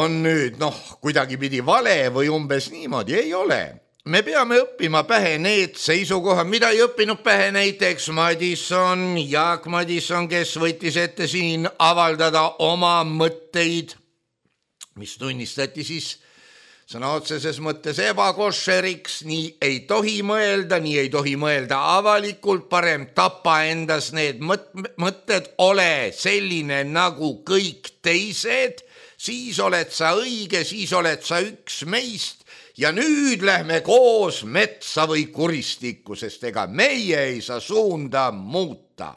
on nüüd kuidagipidi vale või umbes niimoodi, ei ole. Me peame õppima pähe need seisukohad, mida ei õppinud pähe näiteks Jaak Madison, kes võttis ette siin avaldada oma mõtteid, mis tunnistati siis sõna otseses mõttes ebakošeriks, nii ei tohi mõelda avalikult, parem tapa endas need mõtted, ole selline nagu kõik teised, siis oled sa õige, siis oled sa üks meist ja nüüd lähme koos metsa või kuristikku, sest ega meie ei saa suunda muuta.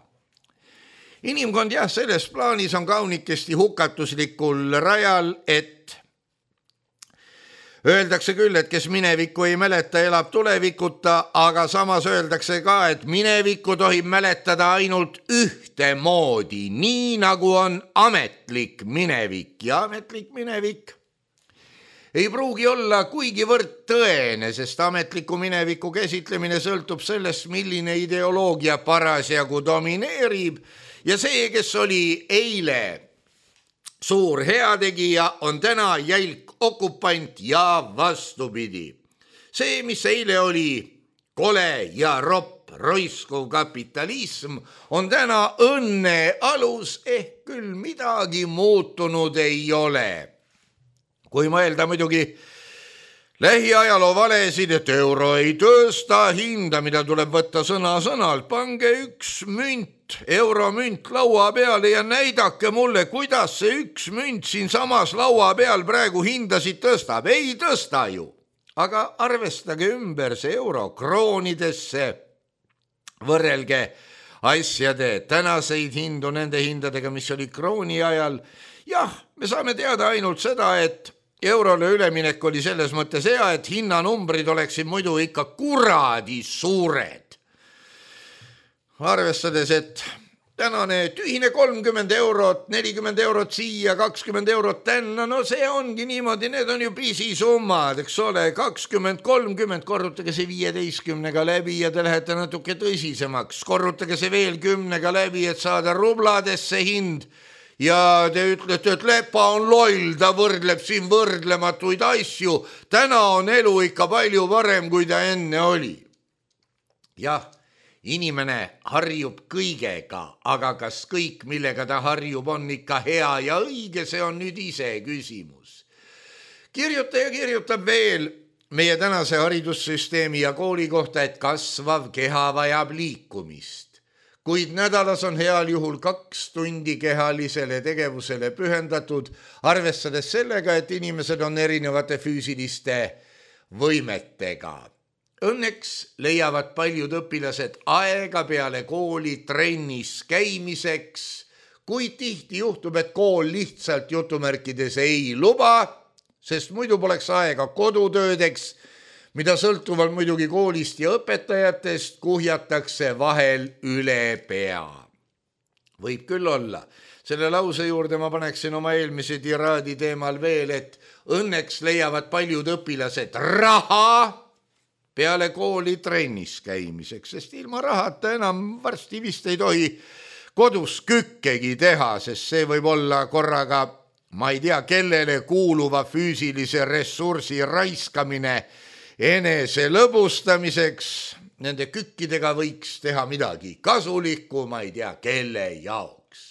Inimkond selles plaanis on kaunikesti hukatuslikul rajal, et öeldakse küll, et kes minevikku ei mäleta, elab tulevikuta, aga samas öeldakse ka, et minevikku tohib mäletada ainult ühtemoodi, nii nagu on ametlik minevik ja ametlik minevik ei pruugi olla kuigivõrd tõene, sest ametliku mineviku käsitlemine sõltub sellest, milline ideoloogia parasjagu domineerib ja see, kes oli eile suur heategija, on täna jälk okupant ja vastupidi. See, mis eile oli kole ja ropp roiskuv kapitalism, on täna õnne alus, ehk küll midagi muutunud ei ole. Kui mõelda muidugi lähiajaloo valesid, et euro ei tõsta hinda, mida tuleb võtta sõna-sõnalt, pange üks münt, euromünt laua peale ja näidake mulle, kuidas see üks münt siin samas laua peal praegu hindasid tõstab. Ei tõsta ju, aga arvestage ümber see euro kroonidesse, võrrelge asjade tänaseid hindu nende hindadega, mis oli krooni ajal. Jah, me saame teada ainult seda, et eurole üleminek oli selles mõttes hea, et hinnanumbrid oleksid muidu ikka kuradi suured. Arvestades, et tänane tühine 30 eurot, 40 eurot siia, 20 eurot tänna, no see ongi niimoodi, need on ju pisisummad, eks ole, 20-30, korrutage see 15-ga läbi ja te lähete natuke tõsisemaks, korrutage see veel 10-ga läbi, et saada rubladesse hind. Ja te ütlete, et Lepa on loll, ta võrdleb siin võrdlematuid asju. Täna on elu ikka palju varem, kui ta enne oli. Jah, inimene harjub kõigega, aga kas kõik, millega ta harjub, on ikka hea ja õige, see on nüüd ise küsimus. Kirjutaja kirjutab veel meie tänase haridussüsteemi ja kooli kohta, et kasvav keha vajab liikumist. Kuid nädalas on heal juhul 2 tundi kehalisele tegevusele pühendatud, arvestades sellega, et inimesed on erinevate füüsiliste võimetega. Õnneks leiavad paljud õpilased aega peale kooli trennis käimiseks, kuid tihti juhtub, et kool lihtsalt jutumärkides ei luba, sest muidu poleks aega kodutöödeks, mida sõltuvalt muidugi koolist ja õpetajatest kuhjatakse vahel üle pea. Võib küll olla. Selle lause juurde ma paneksin oma eelmise tiraadi teemal veel, et õnneks leiavad paljud õpilased raha peale kooli trennis käimiseks, sest ilma rahata enam varsti vist ei tohi kodus kükkegi teha, sest see võib olla korraga, ma ei tea, kellele kuuluva füüsilise ressursi raiskamine enese lõbustamiseks. Nende kükkidega võiks teha midagi kasulikku, ma ei tea, kelle jaoks.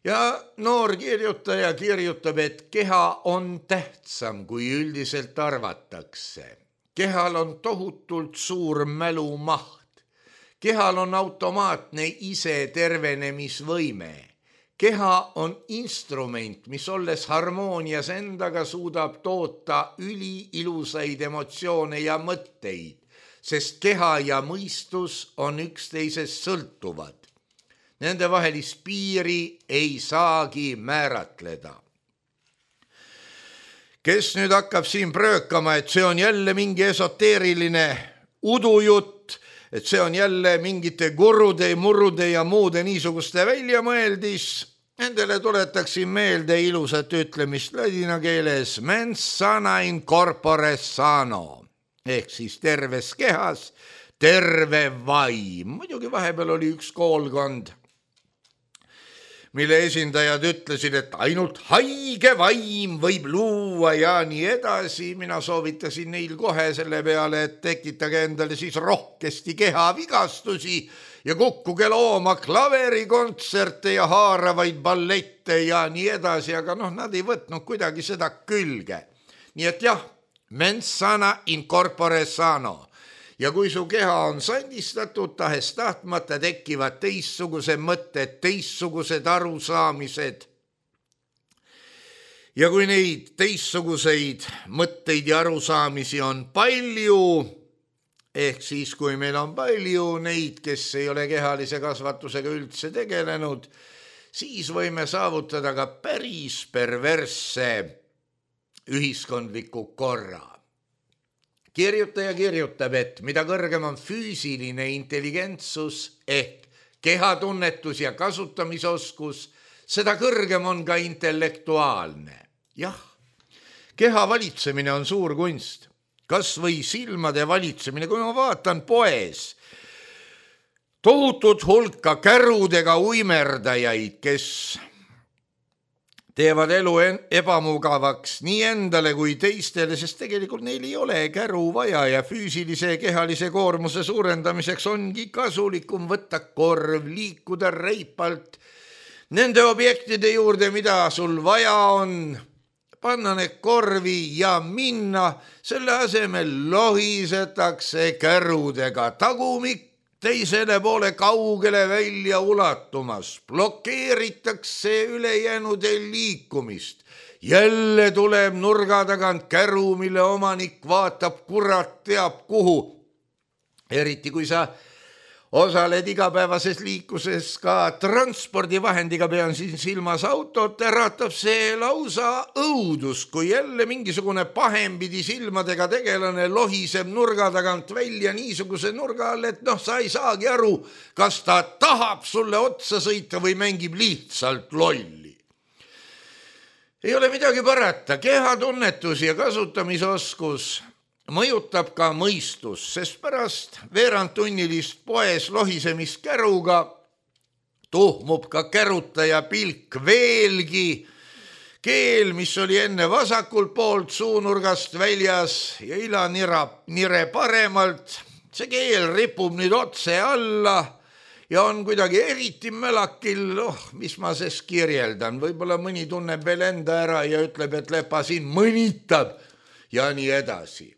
Ja noor kirjutaja kirjutab, et keha on tähtsam, kui üldiselt arvatakse. Kehal on tohutult suur mälumaht. Kehal on automaatne ise tervenemisvõime. Keha on instrument, mis olles harmoonias endaga suudab toota üliilusaid emotsioone ja mõtteid, sest keha ja mõistus on üksteisest sõltuvad. Nende vahelist piiri ei saagi määratleda. Kes nüüd hakkab siin pröökama, et see on jälle mingi esoteeriline udujutt, et see on jälle mingite gurude, murrude ja muude niisuguste väljamõeldis, nendele tuletaksin meelde ilusat ütlemist ladina keeles mens sana in corpore sano, ehk siis terves kehas terve vaim. Muidugi vahepeal oli üks koolkond, mille esindajad ütlesid, et ainult haige vaim võib luua ja nii edasi. Mina soovitasin neil kohe selle peale, et tekitage endale siis rohkesti kehavigastusi ja kukkuge looma klaverikontserte ja haaravaid ballette ja nii edasi, aga nad ei võtnud kuidagi seda külge. Nii et jah, mens sana in corpore sano. Ja kui su keha on sandistatud, tahes tahtmata tekivad teistsugused mõtted, teistsugused arusaamised. Ja kui neid teistsuguseid mõtteid ja arusaamisi on palju, ehk siis kui meil on palju neid, kes ei ole kehalise kasvatusega üldse tegelenud, siis võime saavutada ka päris perversse ühiskondliku korra. Kirjutaja kirjutab, et mida kõrgem on füüsiline intelligentsus ehk kehatunnetus ja kasutamisoskus, seda kõrgem on ka intellektuaalne. Jah, Keha valitsemine on suur kunst. Kas või silmade valitsemine, kui ma vaatan poes tohutut hulka kärudega uimerdajaid, kes teevad elu ebamugavaks nii endale kui teistele, sest tegelikult neil ei ole käru vaja ja füüsilise ja kehalise koormuse suurendamiseks ongi kasulikum võtta korv, liikuda reipalt nende objektide juurde, mida sul vaja on, panna need korvi ja minna, selle asemel lohisetakse kärudega tagumik teisele poole kaugele välja ulatumas, blokeeritakse ülejäänude liikumist. Jälle tuleb nurga tagant käru, mille omanik vaatab kurat teab kuhu. Eriti kui sa osaled igapäevases liikuses ka transpordivahendiga, pean siin silmas autot, äratab see lausa õudus, kui jälle mingisugune pahempidi silmadega tegelane lohiseb nurga tagant välja niisuguse nurga all, et sa ei saagi aru, kas ta tahab sulle otsa sõita või mängib lihtsalt lolli. Ei ole midagi parata, kehatunnetus ja kasutamisoskus mõjutab ka mõistus, sest pärast veerandtunnilist poes lohisemist käruga tuhmub ka kärutaja pilk veelgi. Keel, mis oli enne vasakult poolt suunurgast väljas ja ilanire paremalt, see keel ripub nüüd otse alla ja on kuidagi eriti mälakil, mis ma sest kirjeldan. Võib-olla mõni tunneb veel enda ära ja ütleb, et Lepa siin mõnitab ja nii edasi.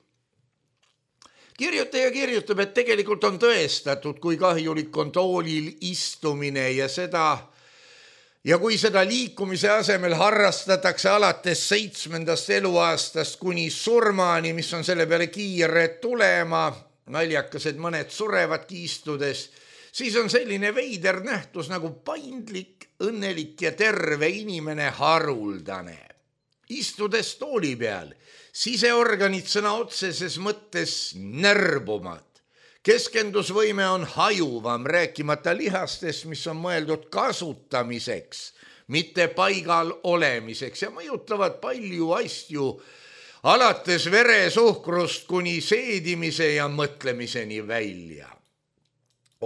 Kirjutaja kirjutab, et tegelikult on tõestatud, kui kahjulik on toolil istumine ja kui seda liikumise asemel harrastatakse alates 7. eluaastast kuni surmani, mis on selle peale kiire tulema, naljakas, et mõned surevadki istudes, siis on selline veider nähtus nagu paindlik, õnnelik ja terve inimene haruldane. Istudes tooli peal, siseorganid sõna otseses mõttes närbuvad. Keskendusvõime on hajuvam, rääkimata lihastest, mis on mõeldud kasutamiseks, mitte paigal olemiseks ja mõjutavad palju asju, alates veresuhkrust kuni seedimise ja mõtlemiseni välja.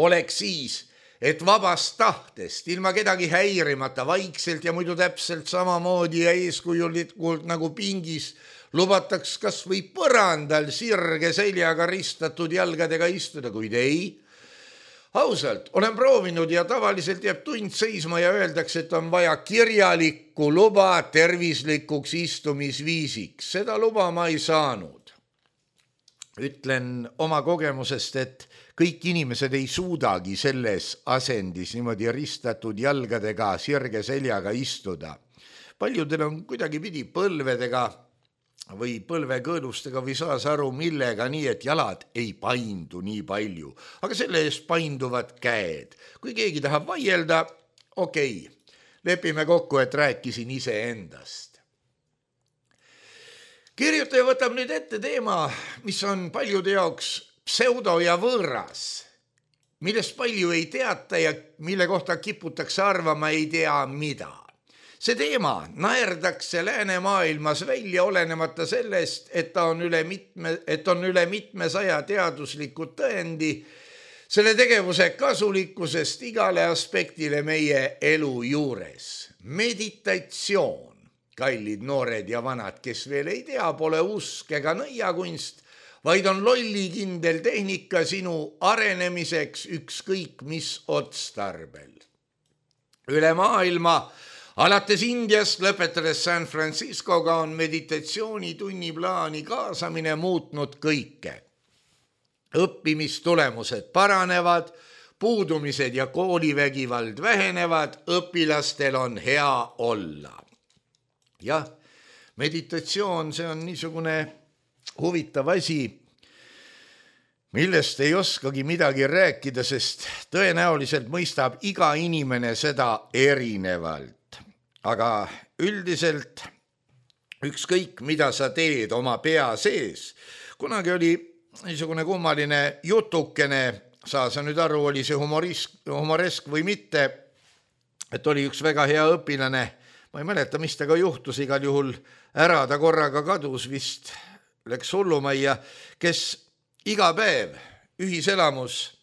Oleks siis, et vabast tahtest, ilma kedagi häirimata, vaikselt ja muidu täpselt samamoodi ja eeskujulikult nagu pingis, lubataks kas või põrandal sirge seljaga ristatud jalgadega istuda, kuid ei. Ausalt, olen proovinud ja tavaliselt jääb tund seisma ja öeldakse, et on vaja kirjalikku luba tervislikuks istumisviisiks. Seda luba ma ei saanud. Ütlen oma kogemusest, et kõik inimesed ei suudagi selles asendis niimoodi ristatud jalgadega sirge seljaga istuda. Paljudel on kuidagi pidi põlvedega või põlvekõõlustega või saas aru millega nii, et jalad ei paindu nii palju, aga selle eest painduvad käed. Kui keegi tahab vaielda, okei, lepime kokku, et rääkisin iseendast. Kirjutaja võtab nüüd ette teema, mis on paljude jaoks pseudo ja võõras, millest palju ei teata ja mille kohta kiputakse arvama ei tea mida. See teema naerdakse läänemaailmas välja olenemata sellest, et on üle mitmesaja teadusliku tõendi selle tegevuse kasulikkusest igale aspektile meie elu juures. Meditatsioon, kallid noored ja vanad, kes veel ei tea, pole usk ega nõiakunst, vaid on lollikindel tehnika sinu arenemiseks ükskõik mis otstarbel. Üle maailma alates Indiast lõpetades San Franciscoga on meditatsiooni tunniplaani kaasamine muutnud kõike. Õppimistulemused paranevad, puudumised ja koolivägivald vähenevad, õpilastel on hea olla. Jah, meditatsioon, see on niisugune huvitav asi, millest ei oskagi midagi rääkida, sest tõenäoliselt mõistab iga inimene seda erinevalt. Aga üldiselt ükskõik, mida sa teed oma pea sees. Kunagi oli niisugune kummaline jutukene, saa sa nüüd aru, oli see humoresk või mitte, et oli üks väga hea õpilane, ma ei mäleta, mis tega juhtus, igal juhul ära, ta korraga kadus vist, läks hullumajja, kes iga päev ühiselamus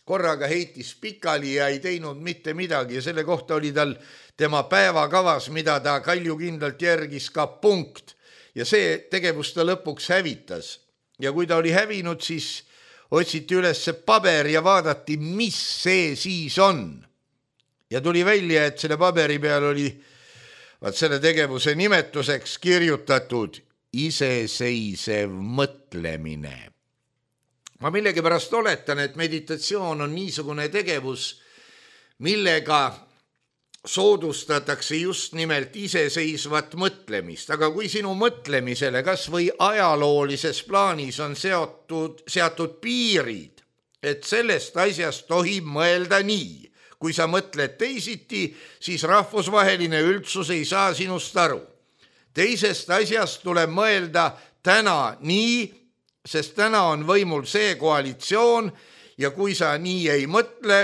korraga heitis pikali ja ei teinud mitte midagi ja selle kohta oli tal tema päevakavas, mida ta kaljukindlalt järgis ka punkt ja see tegevus ta lõpuks hävitas. Ja kui ta oli hävinud, siis otsiti üles see paber ja vaadati, mis see siis on. Ja tuli välja, et selle paberi peal oli selle tegevuse nimetuseks kirjutatud iseseisev mõtlemine. Ma millegipärast oletan, et meditatsioon on niisugune tegevus, millega soodustatakse just nimelt iseseisvat mõtlemist, aga kui sinu mõtlemisele kas või ajaloolises plaanis on seatud piirid, et sellest asjast tohib mõelda nii, kui sa mõtled teisiti, siis rahvusvaheline üldsus ei saa sinust aru. Teisest asjast tuleb mõelda täna nii, sest täna on võimul see koalitsioon ja kui sa nii ei mõtle,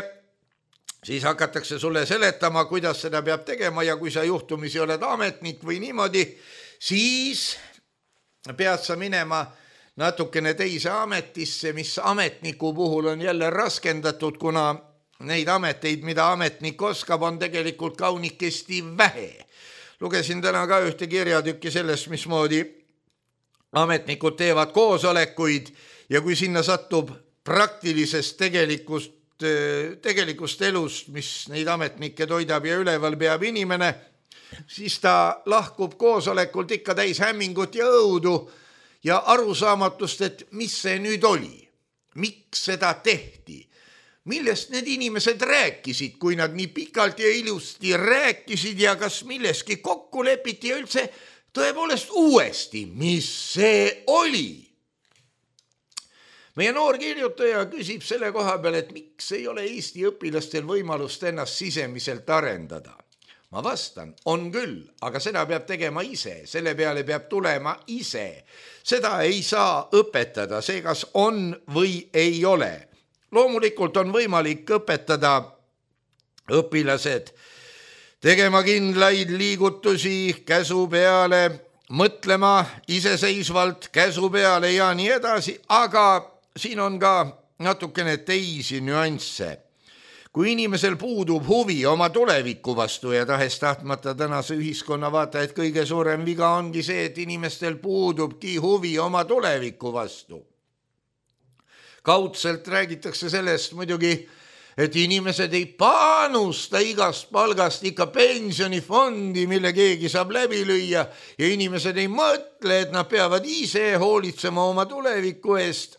siis hakatakse sulle seletama, kuidas seda peab tegema ja kui sa juhtumisi oled ametnik või niimoodi, siis pead sa minema natukene teise ametisse, mis ametniku puhul on jälle raskendatud, kuna neid ameteid, mida ametnik oskab, on tegelikult kaunikesti vähe. Lugesin täna ka ühte kirjatükki sellest, mismoodi ametnikud teevad koosolekuid ja kui sinna satub praktilisest tegelikust elust, mis neid ametnikke toidab ja üleval peab inimene, siis ta lahkub koosolekult ikka täis hämmingut ja õudu ja arusaamatust, et mis see nüüd oli, miks seda tehti, millest need inimesed rääkisid, kui nad nii pikalt ja ilusti rääkisid ja kas milleski kokku lepiti ja üldse tõepoolest uuesti, mis see oli. Meie noor kirjutaja küsib selle koha peal, et miks ei ole Eesti õpilastel võimalust ennast sisemiselt arendada. Ma vastan, on küll, aga seda peab tegema ise, selle peale peab tulema ise. Seda ei saa õpetada, see kas on või ei ole. Loomulikult on võimalik õpetada õpilased tegema kindlaid liigutusi käsu peale, mõtlema iseseisvalt käsu peale ja nii edasi, aga siin on ka natukene teisi nüansse. Kui inimesel puudub huvi oma tuleviku vastu ja tahes-tahtmata tänase ühiskonna vaata, et kõige suurem viga ongi see, et inimestel puudubki huvi oma tuleviku vastu. Kaudselt räägitakse sellest muidugi, et inimesed ei panusta igast palgast ikka pensionifondi, mille keegi saab läbi lüüa ja inimesed ei mõtle, et nad peavad ise hoolitsema oma tuleviku eest.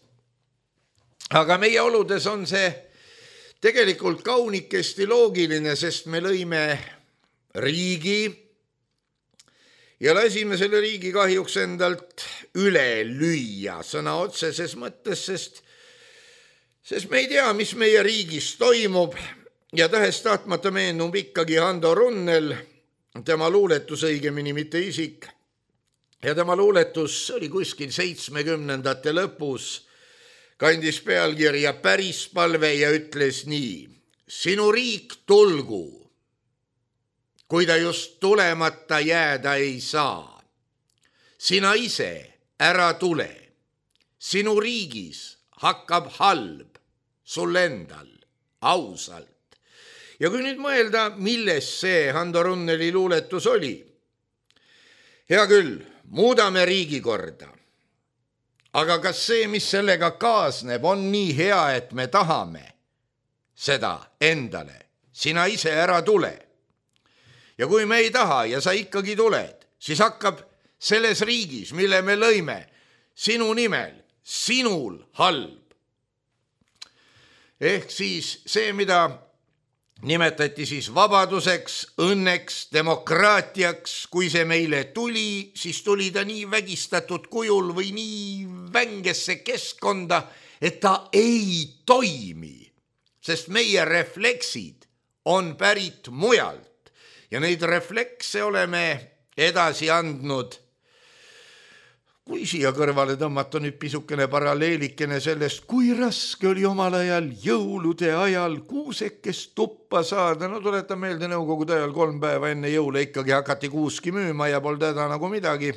Aga meie oludes on see tegelikult kaunikesti loogiline, sest me lõime riigi ja lasime selle riigi kahjuks endalt üle lüüa sõna otseses mõttes, sest me ei tea, mis meie riigis toimub ja tahes-tahtmata meenub ikkagi Hando Runnel, tema luuletus õigemini mitte isik. Ja tema luuletus oli kuskil 70ndate lõpus, kandis pealkirja Päris palve ja ütles nii. Sinu riik tulgu, kui ta just tulemata jääda ei saa. Sina ise ära tule, sinu riigis hakkab halb. Sul endal, ausalt. Ja kui nüüd mõelda, milles see Hando Runneli luuletus oli? Hea küll, muudame riigikorda. Aga kas see, mis sellega kaasneb, on nii hea, et me tahame seda endale? Sina ise ära tule. Ja kui me ei taha ja sa ikkagi tuled, siis hakkab selles riigis, mille me lõime, sinu nimel, sinul halb. Ehk siis see, mida nimetati siis vabaduseks, õnneks, demokraatiaks, kui see meile tuli, siis tuli ta nii vägistatud kujul või nii vängesse keskkonda, et ta ei toimi, sest meie refleksid on pärit mujalt ja neid reflekse oleme edasi andnud. Kui siia kõrvale tõmmata nüüd pisukene paralleelikene sellest, kui raske oli omal ajal jõulude ajal kuusekest tuppa saada. No tuletan meelde, nõukogude ajal 3 päeva enne jõule ikkagi hakati kuuski müüma ja polnud häda nagu midagi.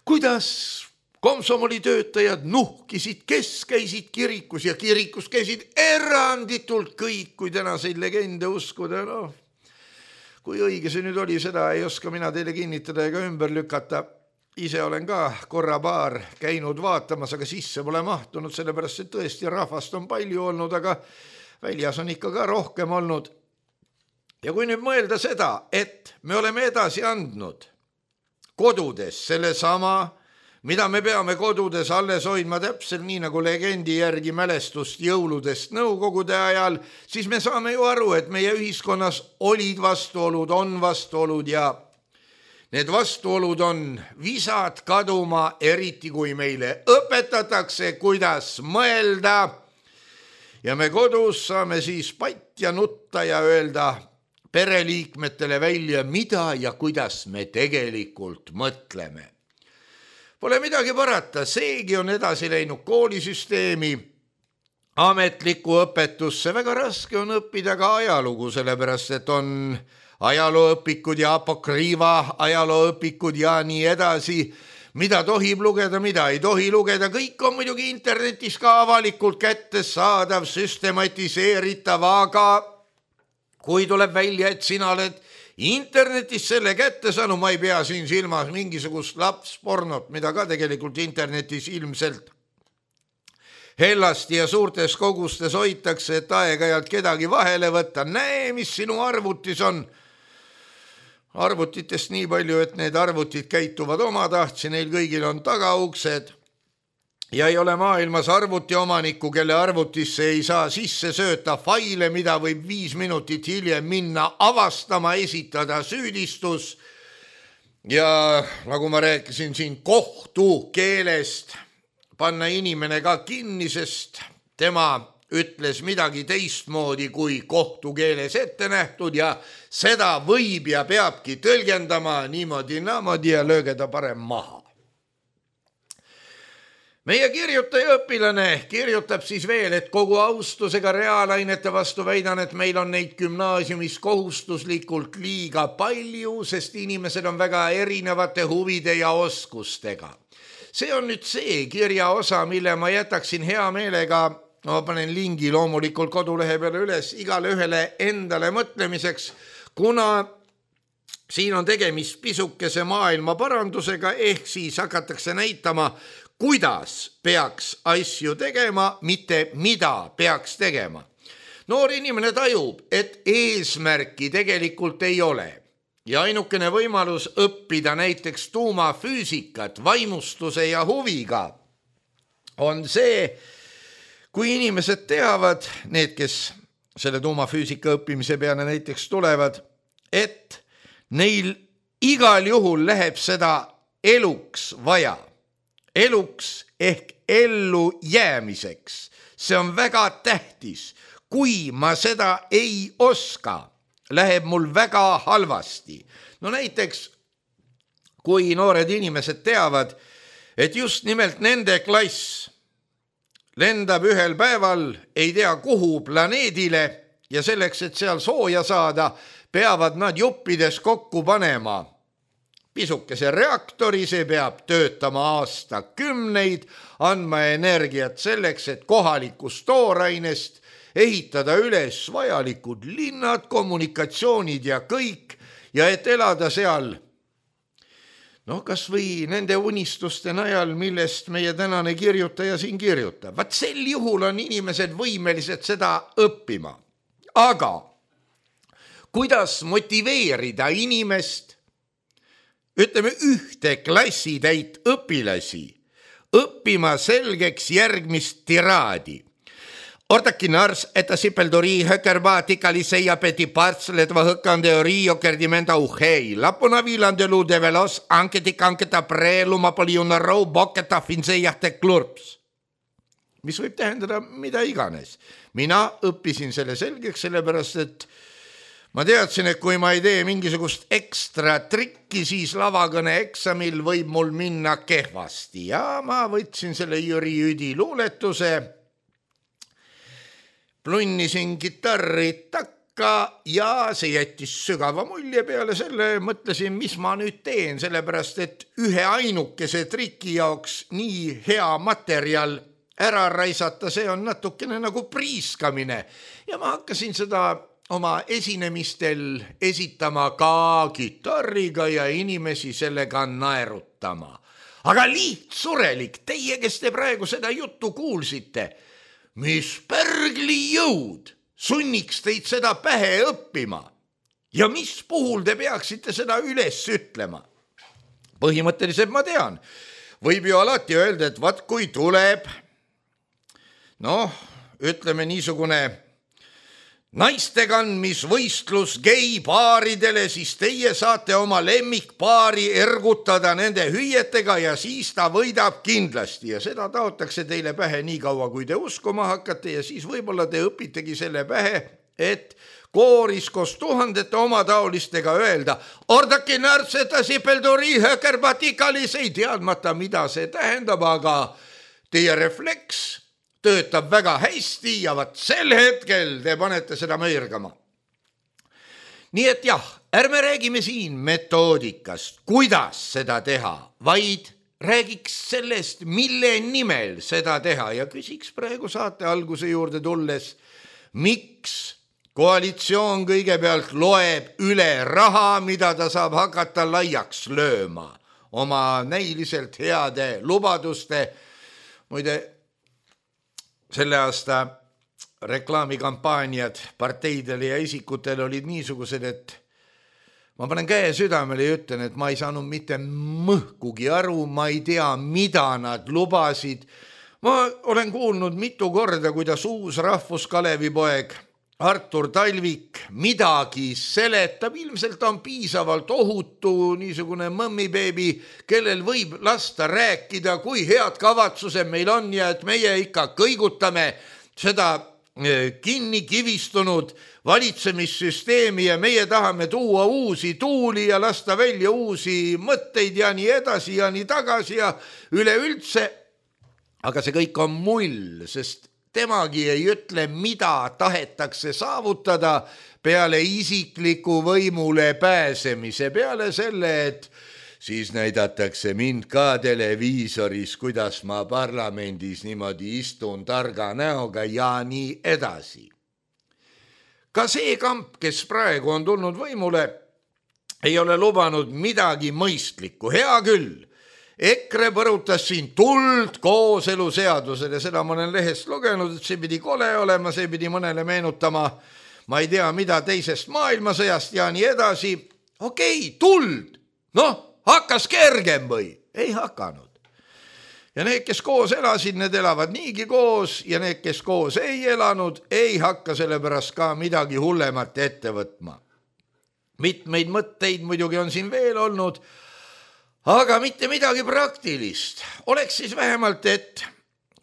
Kuidas komsomoli töötajad nuhkisid, kes käisid kirikus ja kirikus käisid eranditult kõik, kui tänaseid legende uskuda. No, kui õige see nüüd oli, seda ei oska mina teile kinnitada ega ümber lükata. Ise olen ka korra-paar käinud vaatamas, aga sisse pole mahtunud, sellepärast et tõesti rahvast on palju olnud, aga väljas on ikka ka rohkem olnud. Ja kui nüüd mõelda seda, et me oleme edasi andnud kodudes selle sama, mida me peame kodudes alles hoidma täpselt nii nagu legendi järgi mälestust jõuludest nõukogude ajal, siis me saame ju aru, et meie ühiskonnas olid vastuolud, on vastuolud ja need vastuolud on visad kaduma, eriti kui meile õpetatakse, kuidas mõelda. Ja me kodus saame siis patja nutta ja öelda pereliikmetele välja, mida ja kuidas me tegelikult mõtleme. Pole midagi parata, seegi on edasi läinud koolisüsteemi, ametlikku õpetusse. Väga raske on õppida ka ajalugu, sellepärast et on ajalooõpikud ja apokriiva ajalooõpikud ja nii edasi. Mida tohib lugeda, mida ei tohi lugeda. Kõik on muidugi internetis ka avalikult kättesaadav, süstematiseeritav, aga kui tuleb välja, et sina oled internetis selle kätte saanud, ma ei pea siin silmas mingisugust lapspornot, mida ka tegelikult internetis ilmselt hellasti ja suurtes kogustes hoitakse, et aeg-ajalt kedagi vahele võtta. Näe, mis sinu arvutis on. Arvutitest nii palju, et need arvutid käituvad omatahtsi, neil kõigil on tagauksed ja ei ole maailmas arvuti omanikku, kelle arvutisse ei saa sisse sööta faile, mida võib 5 minutit hiljem minna avastama, esitada süüdistus. Ja nagu ma rääkisin siin kohtu keelest, panna inimene ka kinni, sest tema ütles midagi teistmoodi kui kohtu keeles ette nähtud ja seda võib ja peabki tõlgendama niimoodi ja lööge ta parem maha. Meie kirjutaja õpilane kirjutab siis veel, et kogu austusega reaalainete vastu väidan, et meil on neid gümnaasiumis kohustuslikult liiga palju, sest inimesed on väga erinevate huvide ja oskustega. See on nüüd see kirjaosa, mille ma jätaksin hea meelega, ma panen lingi loomulikult kodulehe peale üles igale ühele endale mõtlemiseks, kuna siin on tegemist pisukese maailma parandusega, ehk siis hakatakse näitama, kuidas peaks asju tegema, mitte mida peaks tegema. Noor inimene tajub, et eesmärki tegelikult ei ole ja ainukene võimalus õppida näiteks tuumafüüsikat vaimustuse ja huviga on see, kui inimesed teavad, need, kes selle tuumafüüsika õppimise peale näiteks tulevad, et neil igal juhul läheb seda eluks vaja. Eluks ehk ellu jäämiseks. See on väga tähtis. Kui ma seda ei oska, läheb mul väga halvasti. No näiteks, kui noored inimesed teavad, et just nimelt nende klass lendab ühel päeval, ei tea kuhu planeedile ja selleks, et seal sooja saada, peavad nad juppides kokku panema pisukese reaktori, see peab töötama aastakümneid, andma energiat selleks, et kohalikust toorainest ehitada üles vajalikud linnad, kommunikatsioonid ja kõik, ja et elada seal, kas või nende unistuste najal, millest meie tänane kirjutaja siin kirjutab. Vaat sel juhul on inimesed võimelised seda õppima. Aga kuidas motiveerida inimest, ütleme ühte klassitäit õpilasi, õppima selgeks järgmist tiraadi. Ortakin ars, että sipeldori hökervaatikali ja peti partsletva hökkandeori jokerdimenta uhei. Lapuna vilandelu develos anketa preeluma poliuna rou bokketa finsejahte klurps. Mis võib tähendada mida iganes. Mina õppisin selle selgeks, sellepärast, et ma teadsin, et kui ma ei tee mingisugust ekstra trikki, siis lavakõne eksamil võib mul minna kehvasti ja ma võtsin selle Jüri Jüdi luuletuse, plunnisin kitarri takka ja see jättis sügava mulje. Peale selle mõtlesin, mis ma nüüd teen, sellepärast et ühe ainukese triki jaoks nii hea materjal ära raisata, see on natukene nagu priiskamine ja ma hakkasin seda oma esinemistel esitama ka kitarriga ja inimesi sellega naerutama. Aga lihtsurelik, teie, kes te praegu seda juttu kuulsite, mis pärgli jõud sunniks teid seda pähe õppima ja mis puhul te peaksite seda üles ütlema? Põhimõtteliselt ma tean, võib ju alati öelda, et vaat kui tuleb, ütleme niisugune naistekandmisvõistlus geipaaridele, siis teie saate oma lemmikpaari ergutada nende hüüetega ja siis ta võidab kindlasti ja seda taotakse teile pähe nii kaua, kui te uskuma hakkate ja siis võib-olla te õpitegi selle pähe, et kooris koos tuhandete omataolistega öelda ordaki närtseta sipelduri hökerbatikalis, ei teadmata, mida see tähendab, aga teie refleks töötab väga hästi ja vaat sel hetkel te panete seda mõirgama. Nii et jah, ärme räägime siin metoodikast, kuidas seda teha, vaid räägiks sellest, mille nimel seda teha ja küsiks praegu saate alguse juurde tulles, miks koalitsioon kõigepealt loeb üle raha, mida ta saab hakata laiaks lööma oma näiliselt heade lubaduste. Muide, selle aasta reklaamikampaaniad parteidele ja isikutele olid niisugused, et ma panen käe südamele ja ütlen, et ma ei saanud mitte mõhkugi aru, ma ei tea, mida nad lubasid. Ma olen kuulnud mitu korda, kuidas uus rahvuskalevipoeg Artur Talvik midagi seletab, ilmselt on piisavalt ohutu niisugune mõmmibeebi, kellel võib lasta rääkida, kui head kavatsused meil on ja et meie ikka kõigutame seda kinni kivistunud valitsemissüsteemi ja meie tahame tuua uusi tuuli ja lasta välja uusi mõtteid ja nii edasi ja nii tagasi ja üleüldse. Aga see kõik on mull, sest temagi ei ütle, mida tahetakse saavutada peale isikliku võimule pääsemise, peale selle, et siis näidatakse mind ka televiisoris, kuidas ma parlamendis niimoodi istun targa näoga ja nii edasi. Ka see kamp, kes praegu on tulnud võimule, ei ole lubanud midagi mõistlikku, hea küll. EKRE põrutas siin tuld kooseluseadusele, seda ma olen lehest lugenud, et see pidi kole olema, see pidi mõnele meenutama, ma ei tea, mida teisest maailmasõjast ja nii edasi. Okei, tuld, hakkas kergem või? Ei hakanud. Ja need, kes koos elasid, need elavad niigi koos ja need, kes koos ei elanud, ei hakka sellepärast ka midagi hullemat ette võtma. Mitmeid mõtteid muidugi on siin veel olnud, aga mitte midagi praktilist. Oleks siis vähemalt, et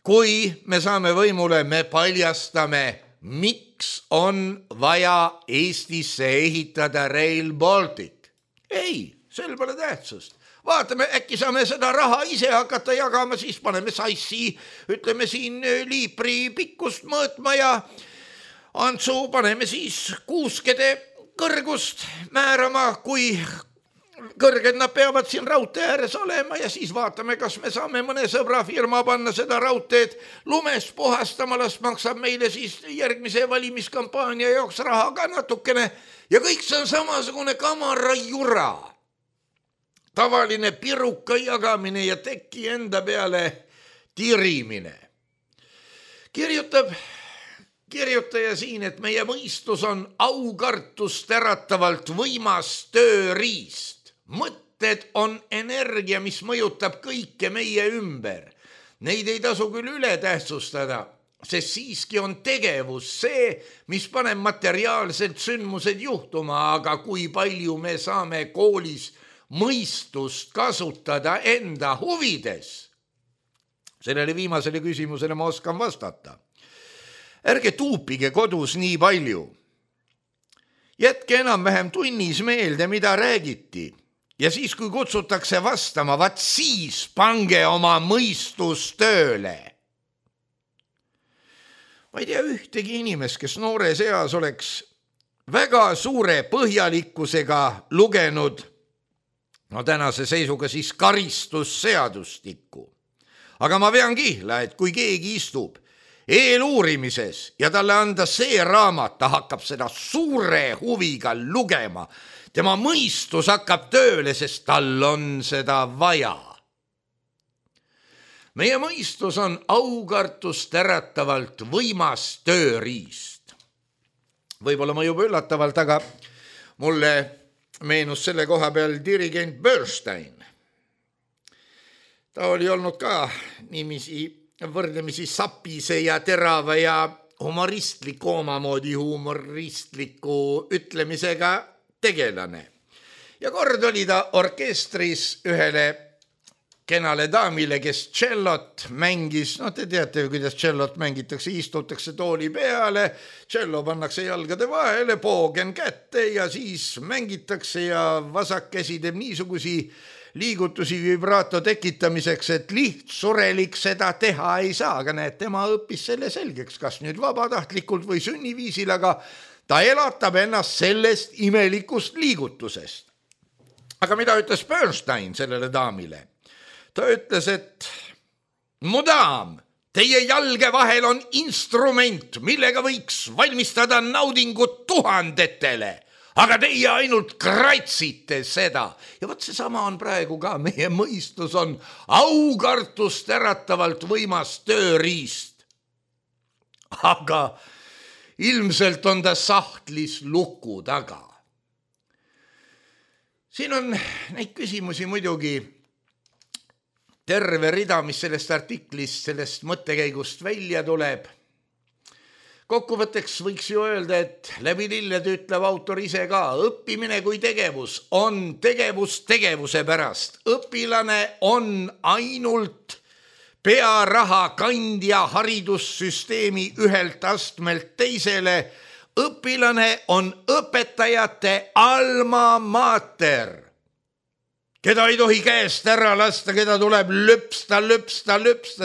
kui me saame võimule, me paljastame, miks on vaja Eestisse ehitada Rail Baltic. Ei, sel pole tähtsust. Vaatame, äkki saame seda raha ise hakata jagama, siis paneme sassi, ütleme siin liipri pikkust mõõtma ja Antsu paneme siis kuuskede kõrgust määrama, kui kõrged nad peavad siin raudtee ääres olema ja siis vaatame, kas me saame mõne sõbra firma panna seda raudteed lumest puhastama, las maksab meile siis järgmise valimiskampaania jaoks raha ka natukene ja kõik see on samasugune kamarajura. Tavaline piruka jagamine ja teki enda peale tirimine. Kirjutaja siin, et meie mõistus on aukartust äratavalt võimas tööriist. Mõtted on energia, mis mõjutab kõike meie ümber. Neid ei tasu küll üle tähtsustada, sest siiski on tegevus see, mis paneb materiaalselt sündmused juhtuma, aga kui palju me saame koolis mõistust kasutada enda huvides? Sellele viimasele küsimusele ma oskan vastata. Ärge tuupige kodus nii palju. Jätke enam-vähem tunnis meelde, mida räägiti. Ja siis, kui kutsutakse vastama, vaat siis pange oma mõistus tööle. Ma ei tea ühtegi inimest, kes noores eas oleks väga suure põhjalikkusega lugenud, tänase seisuga siis karistusseadustikku. Aga ma vean kihla, et kui keegi istub eeluurimises ja talle anda see raamat, ta hakkab seda suure huviga lugema. Tema mõistus hakkab tööle, sest tal on seda vaja. Meie mõistus on aukartust äratavalt võimas tööriist. Võib-olla ma juba üllatavalt, aga mulle meenus selle koha peal dirigent Bernstein. Ta oli olnud ka võrdlemisi sapise ja terava ja humoristliku omamoodi humoristliku ütlemisega tegelane. Ja kord oli ta orkestris ühele kenale daamile, kes tšellot mängis. Te teate, kuidas tšellot mängitakse, istutakse tooli peale, tšello pannakse jalgade vahele, poogen kätte ja siis mängitakse ja vasakkäsi teeb niisugusi liigutusi vibraato tekitamiseks, et lihtsurelik seda teha ei saa, aga näed, tema õppis selle selgeks, kas nüüd vabatahtlikult või sünniviisil, aga ta elatab ennast sellest imelikust liigutusest. Aga mida ütles Bernstein sellele daamile? Ta ütles, et mu daam, teie jalge vahel on instrument, millega võiks valmistada naudingut tuhandetele, aga teie ainult kratsite seda. Ja võt seesama on praegu ka, meie mõistus on aukartust äratavalt võimas tööriist. Aga ilmselt on ta sahtlis luku taga. Siin on neid küsimusi muidugi terve rida, mis sellest artiklist, sellest mõttekäigust välja tuleb. Kokkuvõtteks võiks ju öelda, et läbi lilled ütleb autor ise ka, õppimine kui tegevus on tegevus tegevuse pärast. Õpilane on ainult pearaha kandja haridussüsteemi ühelt astmelt teisele. Õpilane on õpetajate alma mater, keda ei tohi käest ära lasta, keda tuleb löpsta,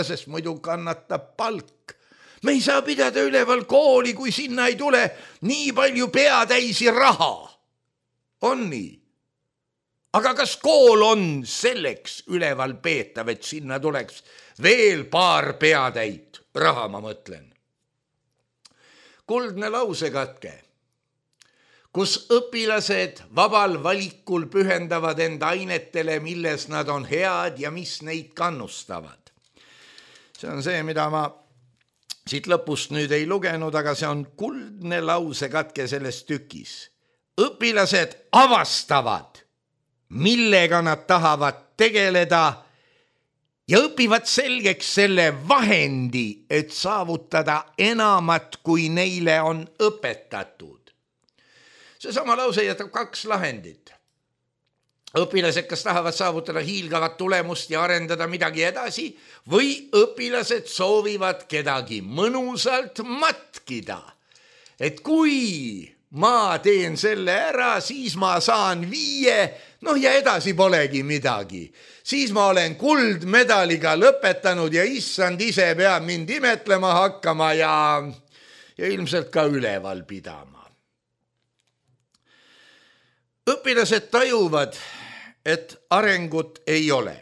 sest muidu kannatab palk. Me ei saa pidada üleval kooli, kui sinna ei tule nii palju peatäisi raha. On nii. Aga kas kool on selleks üleval peetav, et sinna tuleks veel paar peatäit raha, ma mõtlen. Kuldne lausekatke, kus õpilased vabal valikul pühendavad enda ainetele, milles nad on head ja mis neid kannustavad. See on see, mida ma siit lõpust nüüd ei lugenud, aga see on kuldne lausekatke selles tükis. Õpilased avastavad, millega nad tahavad tegeleda ja õpivad selgeks selle vahendi, et saavutada enamat, kui neile on õpetatud. Seesama lause jätab kaks lahendit. Õpilased, kes tahavad saavutada hiilgavat tulemust ja arendada midagi edasi, või õpilased soovivad kedagi mõnusalt matkida. Et kui ma teen selle ära, siis ma saan 5, ja edasi polegi midagi. Siis ma olen kuldmedaliga lõpetanud ja issand ise peab mind imetlema hakkama ja ilmselt ka üleval pidama. Õpilased tajuvad, et arengut ei ole.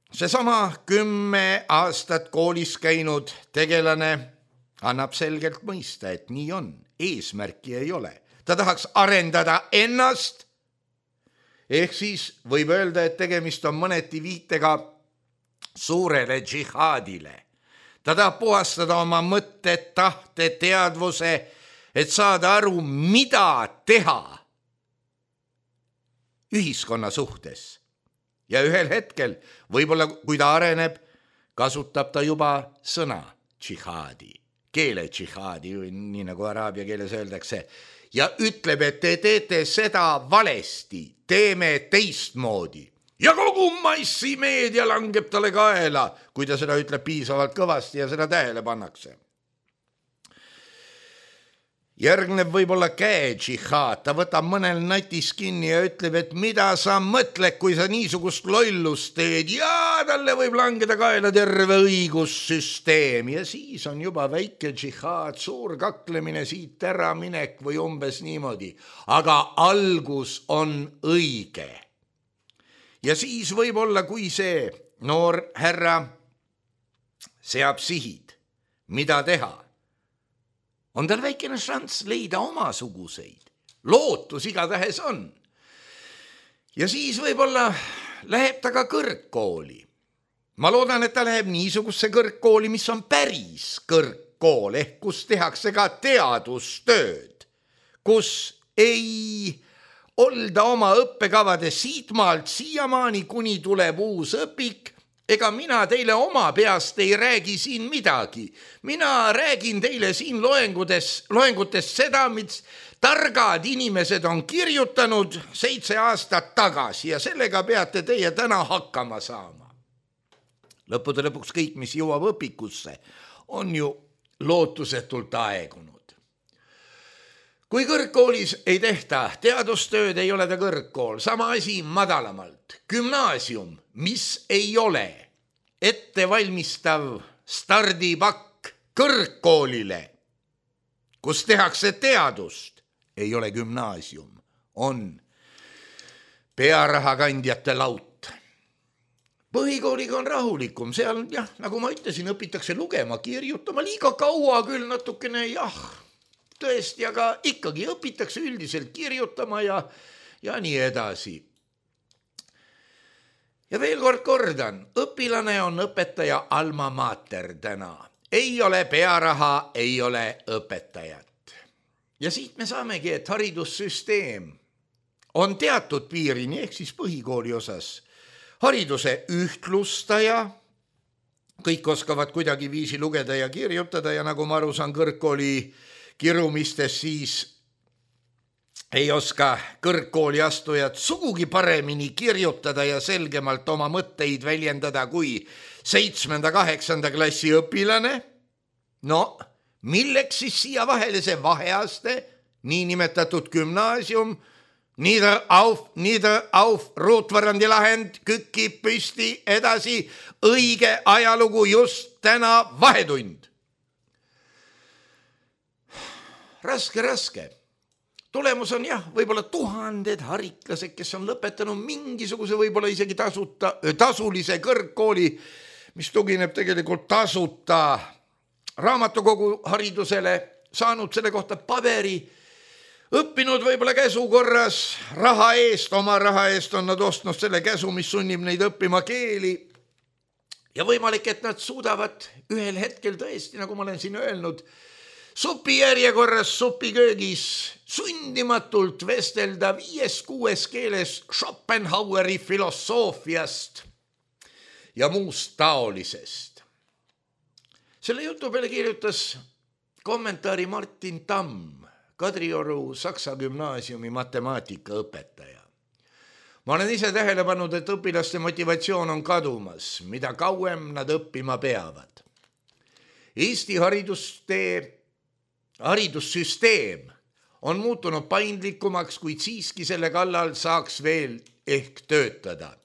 Seesama 10 aastat koolis käinud tegelane annab selgelt mõista, et nii on. Eesmärki ei ole. Ta tahaks arendada ennast, ehk siis võib öelda, et tegemist on mõneti viitega suurele džihaadile. Ta tahab puhastada oma mõtted, tahte, teadvuse, et saada aru, mida teha ühiskonna suhtes. Ja ühel hetkel, võib-olla kui ta areneb, kasutab ta juba sõna džihaadi, keele džihaadi, nii nagu araabia keeles öeldakse, ja ütleb, et te teete seda valesti, teeme teistmoodi. Ja kogu massimeedia langeb talle kaela, kui ta seda ütleb piisavalt kõvasti ja seda tähele pannakse. Järgneb võib-olla käe-džihaad, ta võtab mõnel natis kinni ja ütleb, et mida sa mõtled, kui sa niisugust lollust teed ja talle võib langeda kaela terve õigussüsteem ja siis on juba väike džihaad, suur kaklemine, siit ära minek või umbes niimoodi, aga algus on õige. Ja siis võib-olla, kui see noor härra seab sihid, mida teha, on tal väikene šanss leida omasuguseid. Lootus igatahes on. Ja siis võib-olla läheb ta ka kõrgkooli. Ma loodan, et ta läheb niisugusse kõrgkooli, mis on päris kõrgkool, ehk kus tehakse ka teadustööd, kus ei olda oma õppekavade siitmaalt siiamaani, kuni tuleb uus õpik. Ega mina teile oma peast ei räägi siin midagi. Mina räägin teile siin loengutes seda, mis targad inimesed on kirjutanud 7 aastat tagasi ja sellega peate teie täna hakkama saama. Lõppude lõpuks kõik, mis jõuab õpikusse, on ju lootusetult aegunud. Kui kõrgkoolis ei tehta teadustööd, ei ole ta kõrgkool. Sama asi madalamalt. Gümnaasium, mis ei ole ettevalmistav stardipakk kõrgkoolile, kus tehakse teadust, ei ole gümnaasium, on pearahakandjate laut. Põhikooliga on rahulikum, seal jah, nagu ma ütlesin, õpitakse lugema, kirjutama, liiga kaua küll natukene jah, tõesti, aga ikkagi õpitakse üldiselt kirjutama ja nii edasi. Ja veel kord kordan, õpilane on õpetaja alma mater täna. Ei ole pearaha, ei ole õpetajat. Ja siit me saamegi, et haridussüsteem on teatud piirini, ehk siis põhikooli osas hariduse ühtlustaja, kõik oskavad kuidagi viisi lugeda ja kirjutada ja nagu ma aru saan kõrgkooli kirumistes, siis ei oska kõrgkooli astujad sugugi paremini kirjutada ja selgemalt oma mõtteid väljendada kui 7.-8. klassi õpilane. No, milleks siis siia vahele see vaheaste, niinimetatud gümnaasium, nieder auf, ruutvarandi lahend, kükib püsti, edasi, õige ajalugu just täna vahetund. Raske. Tulemus on jah, võib-olla 1000 hariklased, kes on lõpetanud mingisuguse võib-olla isegi tasulise kõrgkooli, mis tugineb tegelikult tasuta raamatukogu haridusele, saanud selle kohta paberi, õppinud võib-olla käsu korras, oma raha eest on nad ostnud selle käsu, mis sunnib neid õppima keeli ja võimalik, et nad suudavad ühel hetkel tõesti, nagu ma olen siin öelnud, supi järjekorras supiköögis sundimatult vestelda 5-6 keeles Schopenhaueri filosoofiast ja muust taolisest. Selle jutu peale kirjutas kommentaari Martin Tamm, Kadrioru Saksa gümnaasiumi matemaatikaõpetaja. Ma olen ise tähele pannud, et õpilaste motivatsioon on kadumas, mida kauem nad õppima peavad. Eesti haridussüsteem on muutunud paindlikumaks, kuid siiski selle kallal saaks veel ehk töötada.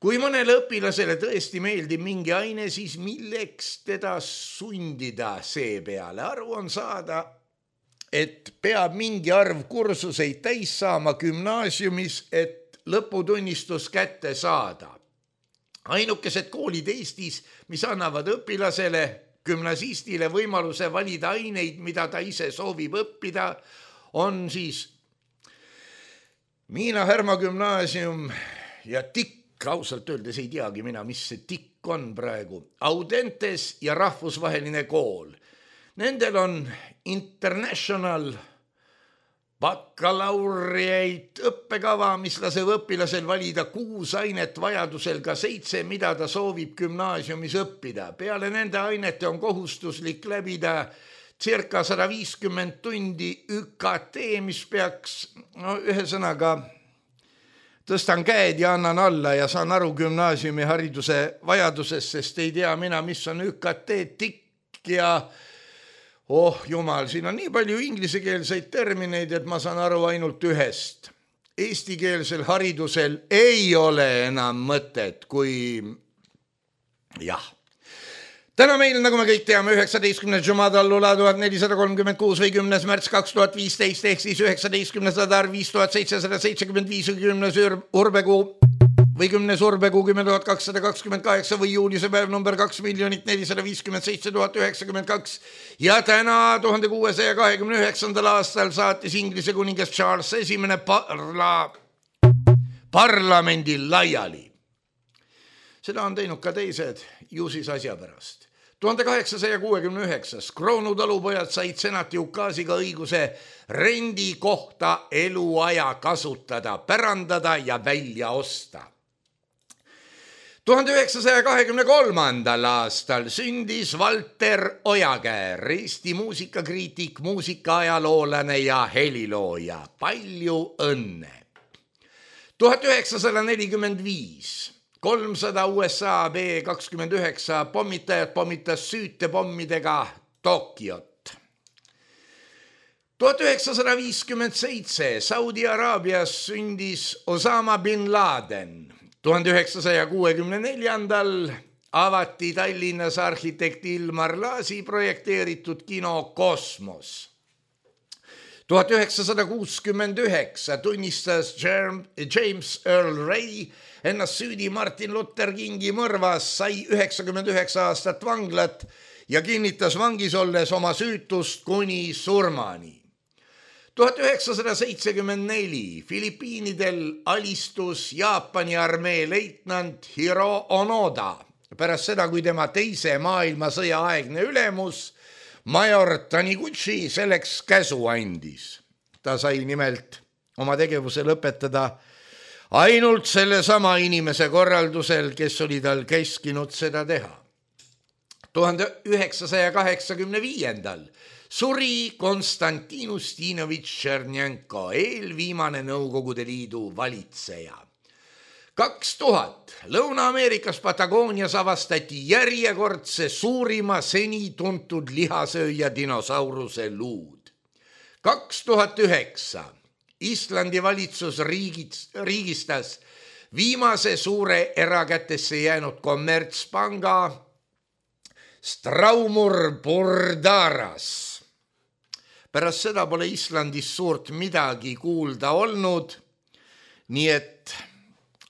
Kui mõnele õpilasele tõesti meeldib mingi aine, siis milleks teda sundida see peale? Aru on saada, et peab mingi arv kursuseid täis saama gümnaasiumis, et lõputunnistus kätte saada. Ainukesed koolid Eestis, mis annavad õpilasele gümnasistile võimaluse valida aineid, mida ta ise soovib õppida, on siis Miina Härma gümnaasium ja TIK, ausalt öeldes ei teagi mina, mis see TIK on praegu, Audentes ja rahvusvaheline kool. Nendel on international bakalaureate õppekava, mis laseb õpilasel valida 6 ainet, vajadusel ka 7, mida ta soovib gümnaasiumis õppida. Peale nende ainete on kohustuslik läbida circa 150 tundi ÜKT, mis peaks, ühesõnaga, tõstan käed ja annan alla ja saan aru gümnaasiumi hariduse vajadusest, sest ei tea mina, mis on ÜKT, TIK ja Oh jumal, siin on nii palju inglisekeelseid termineid, et ma saan aru ainult ühest. Eestikeelsel haridusel ei ole enam mõtet, kui jah. Täna meil, nagu me kõik teame, 19. Jumadallula 1436 või 10. märts 2015 ehk siis 19. sadar 5775 või 10. urbekuu või 10. urbekuu 10.228 või juulise päev number 2,457,092 ja täna 1629. aastal saatis Inglise kuningas Charles esimene parlamendi laiali. Seda on teinud ka teised, ju siis asja pärast. 1869 Kroonu talupojad said senati ukaasiga õiguse rendi kohta eluaja kasutada, pärandada ja välja osta. 1923. aastal sündis Valter Ojakäär, Eesti muusikakriitik, muusikaaajaloolane ja helilooja. Palju õnne! 1945 300 USA B-29 pommitajad pommitas süütepommidega Tokyot. 1957 Saudi Araabias sündis Osama bin Laden. 1964 avati Tallinnas arhitekti Ilmar Laasi projekteeritud kino Kosmos. 1969 tunnistas James Earl Ray ennast süüdi Martin Luther Kingi mõrvas, sai 99 aastat vanglat ja kinnitas vangis olles oma süütust kuni surmani. 1974 Filipiinidel alistus Jaapani armee leitnant Hiro Onoda pärast seda, kui tema teise maailmasõja aegne ülemus major Taniguchi selleks käsu andis. Ta sai nimelt oma tegevuse lõpetada ainult selle sama inimese korraldusel, kes oli tal käskinud seda teha. 1985 suri Konstantin Ustinovitš Tšernjenko, eelviimane Nõukogude Liidu valitseja. 2000 Lõuna-Ameerikas Patagoonias avastati järjekordse suurima seni tuntud lihasööja dinosauruse luud. 2009 Islandi valitsus riigistas viimase suure erakätesse jäänud kommertspanga Straumur Burdaras. Pärast seda pole Islandis suurt midagi kuulda olnud, nii et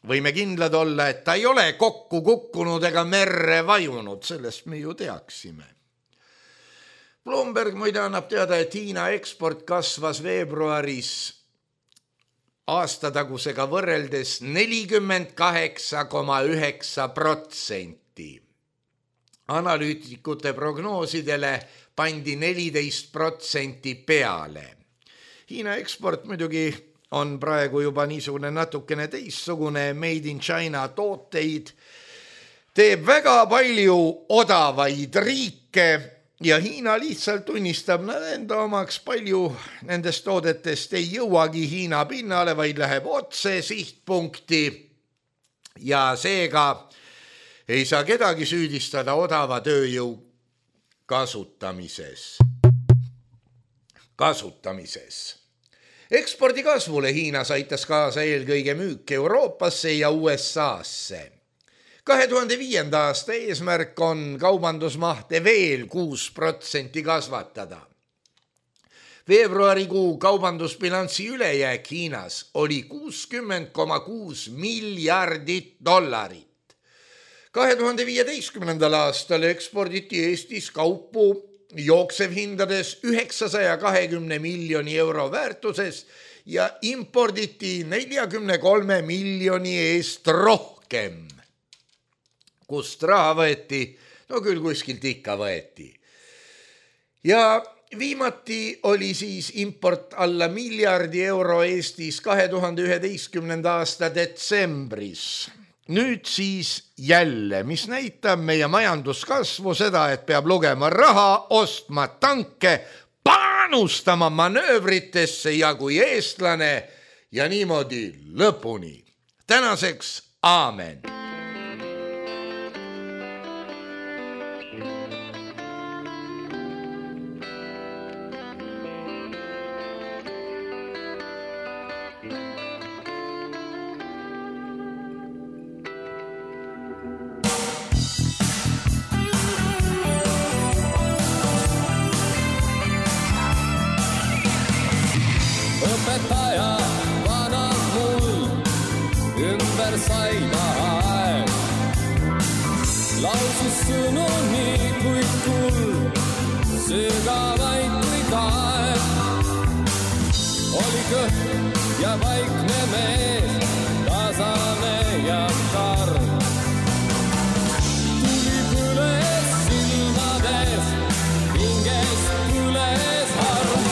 võime kindlad olla, et ta ei ole kokku kukkunud ega merre vajunud, sellest me ju teaksime. Bloomberg muide annab teada, et Hiina eksport kasvas veebruaris aastatagusega võrreldes 48,9%. Analüütikute prognoosidele pandi 14% peale. Hiina eksport muidugi on praegu juba niisugune natukene teistsugune, made in China tooteid, teeb väga palju odavaid riike ja Hiina lihtsalt tunnistab enda omaks, palju nendest toodetest ei jõuagi Hiina pinnale, vaid läheb otse sihtpunkti ja seega ei saa kedagi süüdistada odava tööjõu kasutamises. Ekspordi kasvule Hiinas aitas kaasa eelkõige müük Euroopasse ja USA-sse. 2005. aasta eesmärk on kaubandusmahte veel 6% kasvatada. Veebruarikuu kaubandusbilansi ülejääk Hiinas oli $60,6 miljardit. 2015. aastal eksporditi Eestis kaupu jooksevhindades 920 miljoni euro väärtuses ja imporditi 43 miljoni eest rohkem. Kust raha võeti? No küll kuskilt ikka võeti. Ja viimati oli siis import alla miljardi euro Eestis 2011. aasta detsembris. Nüüd siis jälle, mis näitab meie majanduskasvu seda, et peab lugema raha, ostma tanke, panustama manöövritesse ja kui eestlane ja niimoodi lõpuni. Tänaseks aamen. lausus sõnu nii kui kuld, sügavaid kui kaev. Oli kõht ja vaikne mees, tasane ja karm. Tuli põles silmades, hingest põles harm.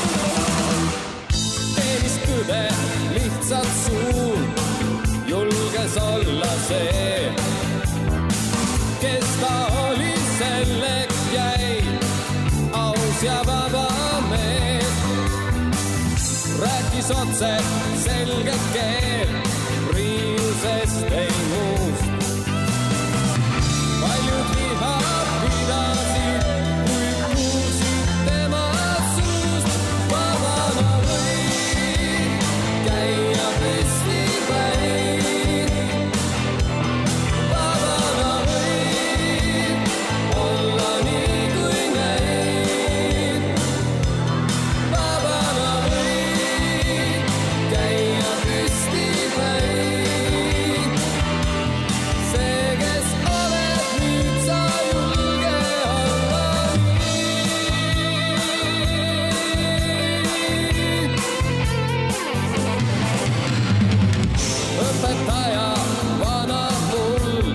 Teenis tõde lihtsalt suun, julges olla see, kes ta oli, selleks jäi aus ja vaba mees. Rääkis otse selget keel, riiusest ei muust. Paljud viha pidasid, kui kuulsid tema suust. Vabana võid käia püsti päin. Vabana võid olla nii kui neid. Vabana võid käia püsti päin. See, kes oled nüüd, sa julge olla nii. Õpetaja vana mul,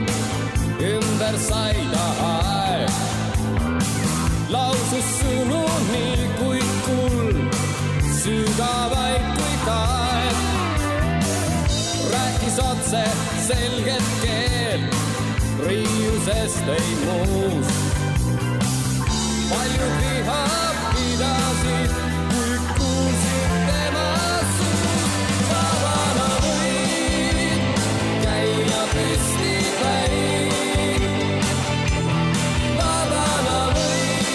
ümber sai ta aeg. Lausus sõnu nii kui kuld, sügavaid kui kaev. Rääkis otse selget keel, riiusest ei muust. Paljud viha pidasid, kui kuulsid tema suust. Vabana võid käia püsti päin. Vabana võid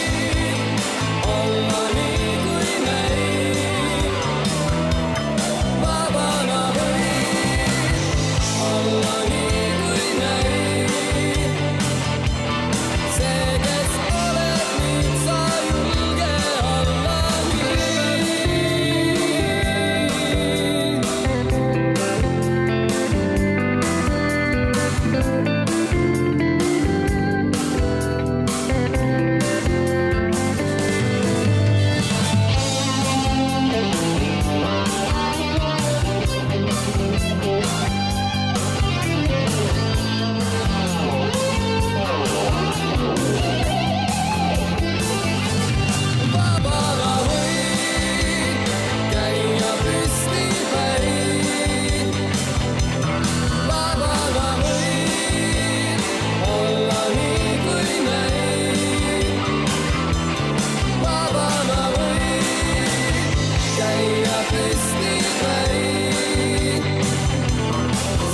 olla nii kui neid. Vabana võid olla nii kui neid. See, kes oled nüüd, sa julge olla nii. Vabana võid käia püsti päin. Vabana võid olla nii kui neid. Vabana võid käia püsti päin.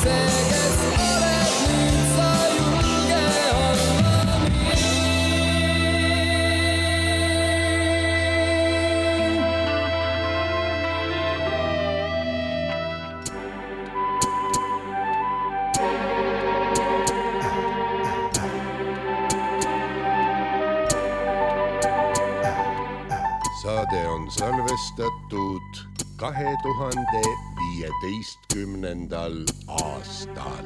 See, kes oled nüüd, sa julge olla nii. Saade on salvestatud 2015. aastal.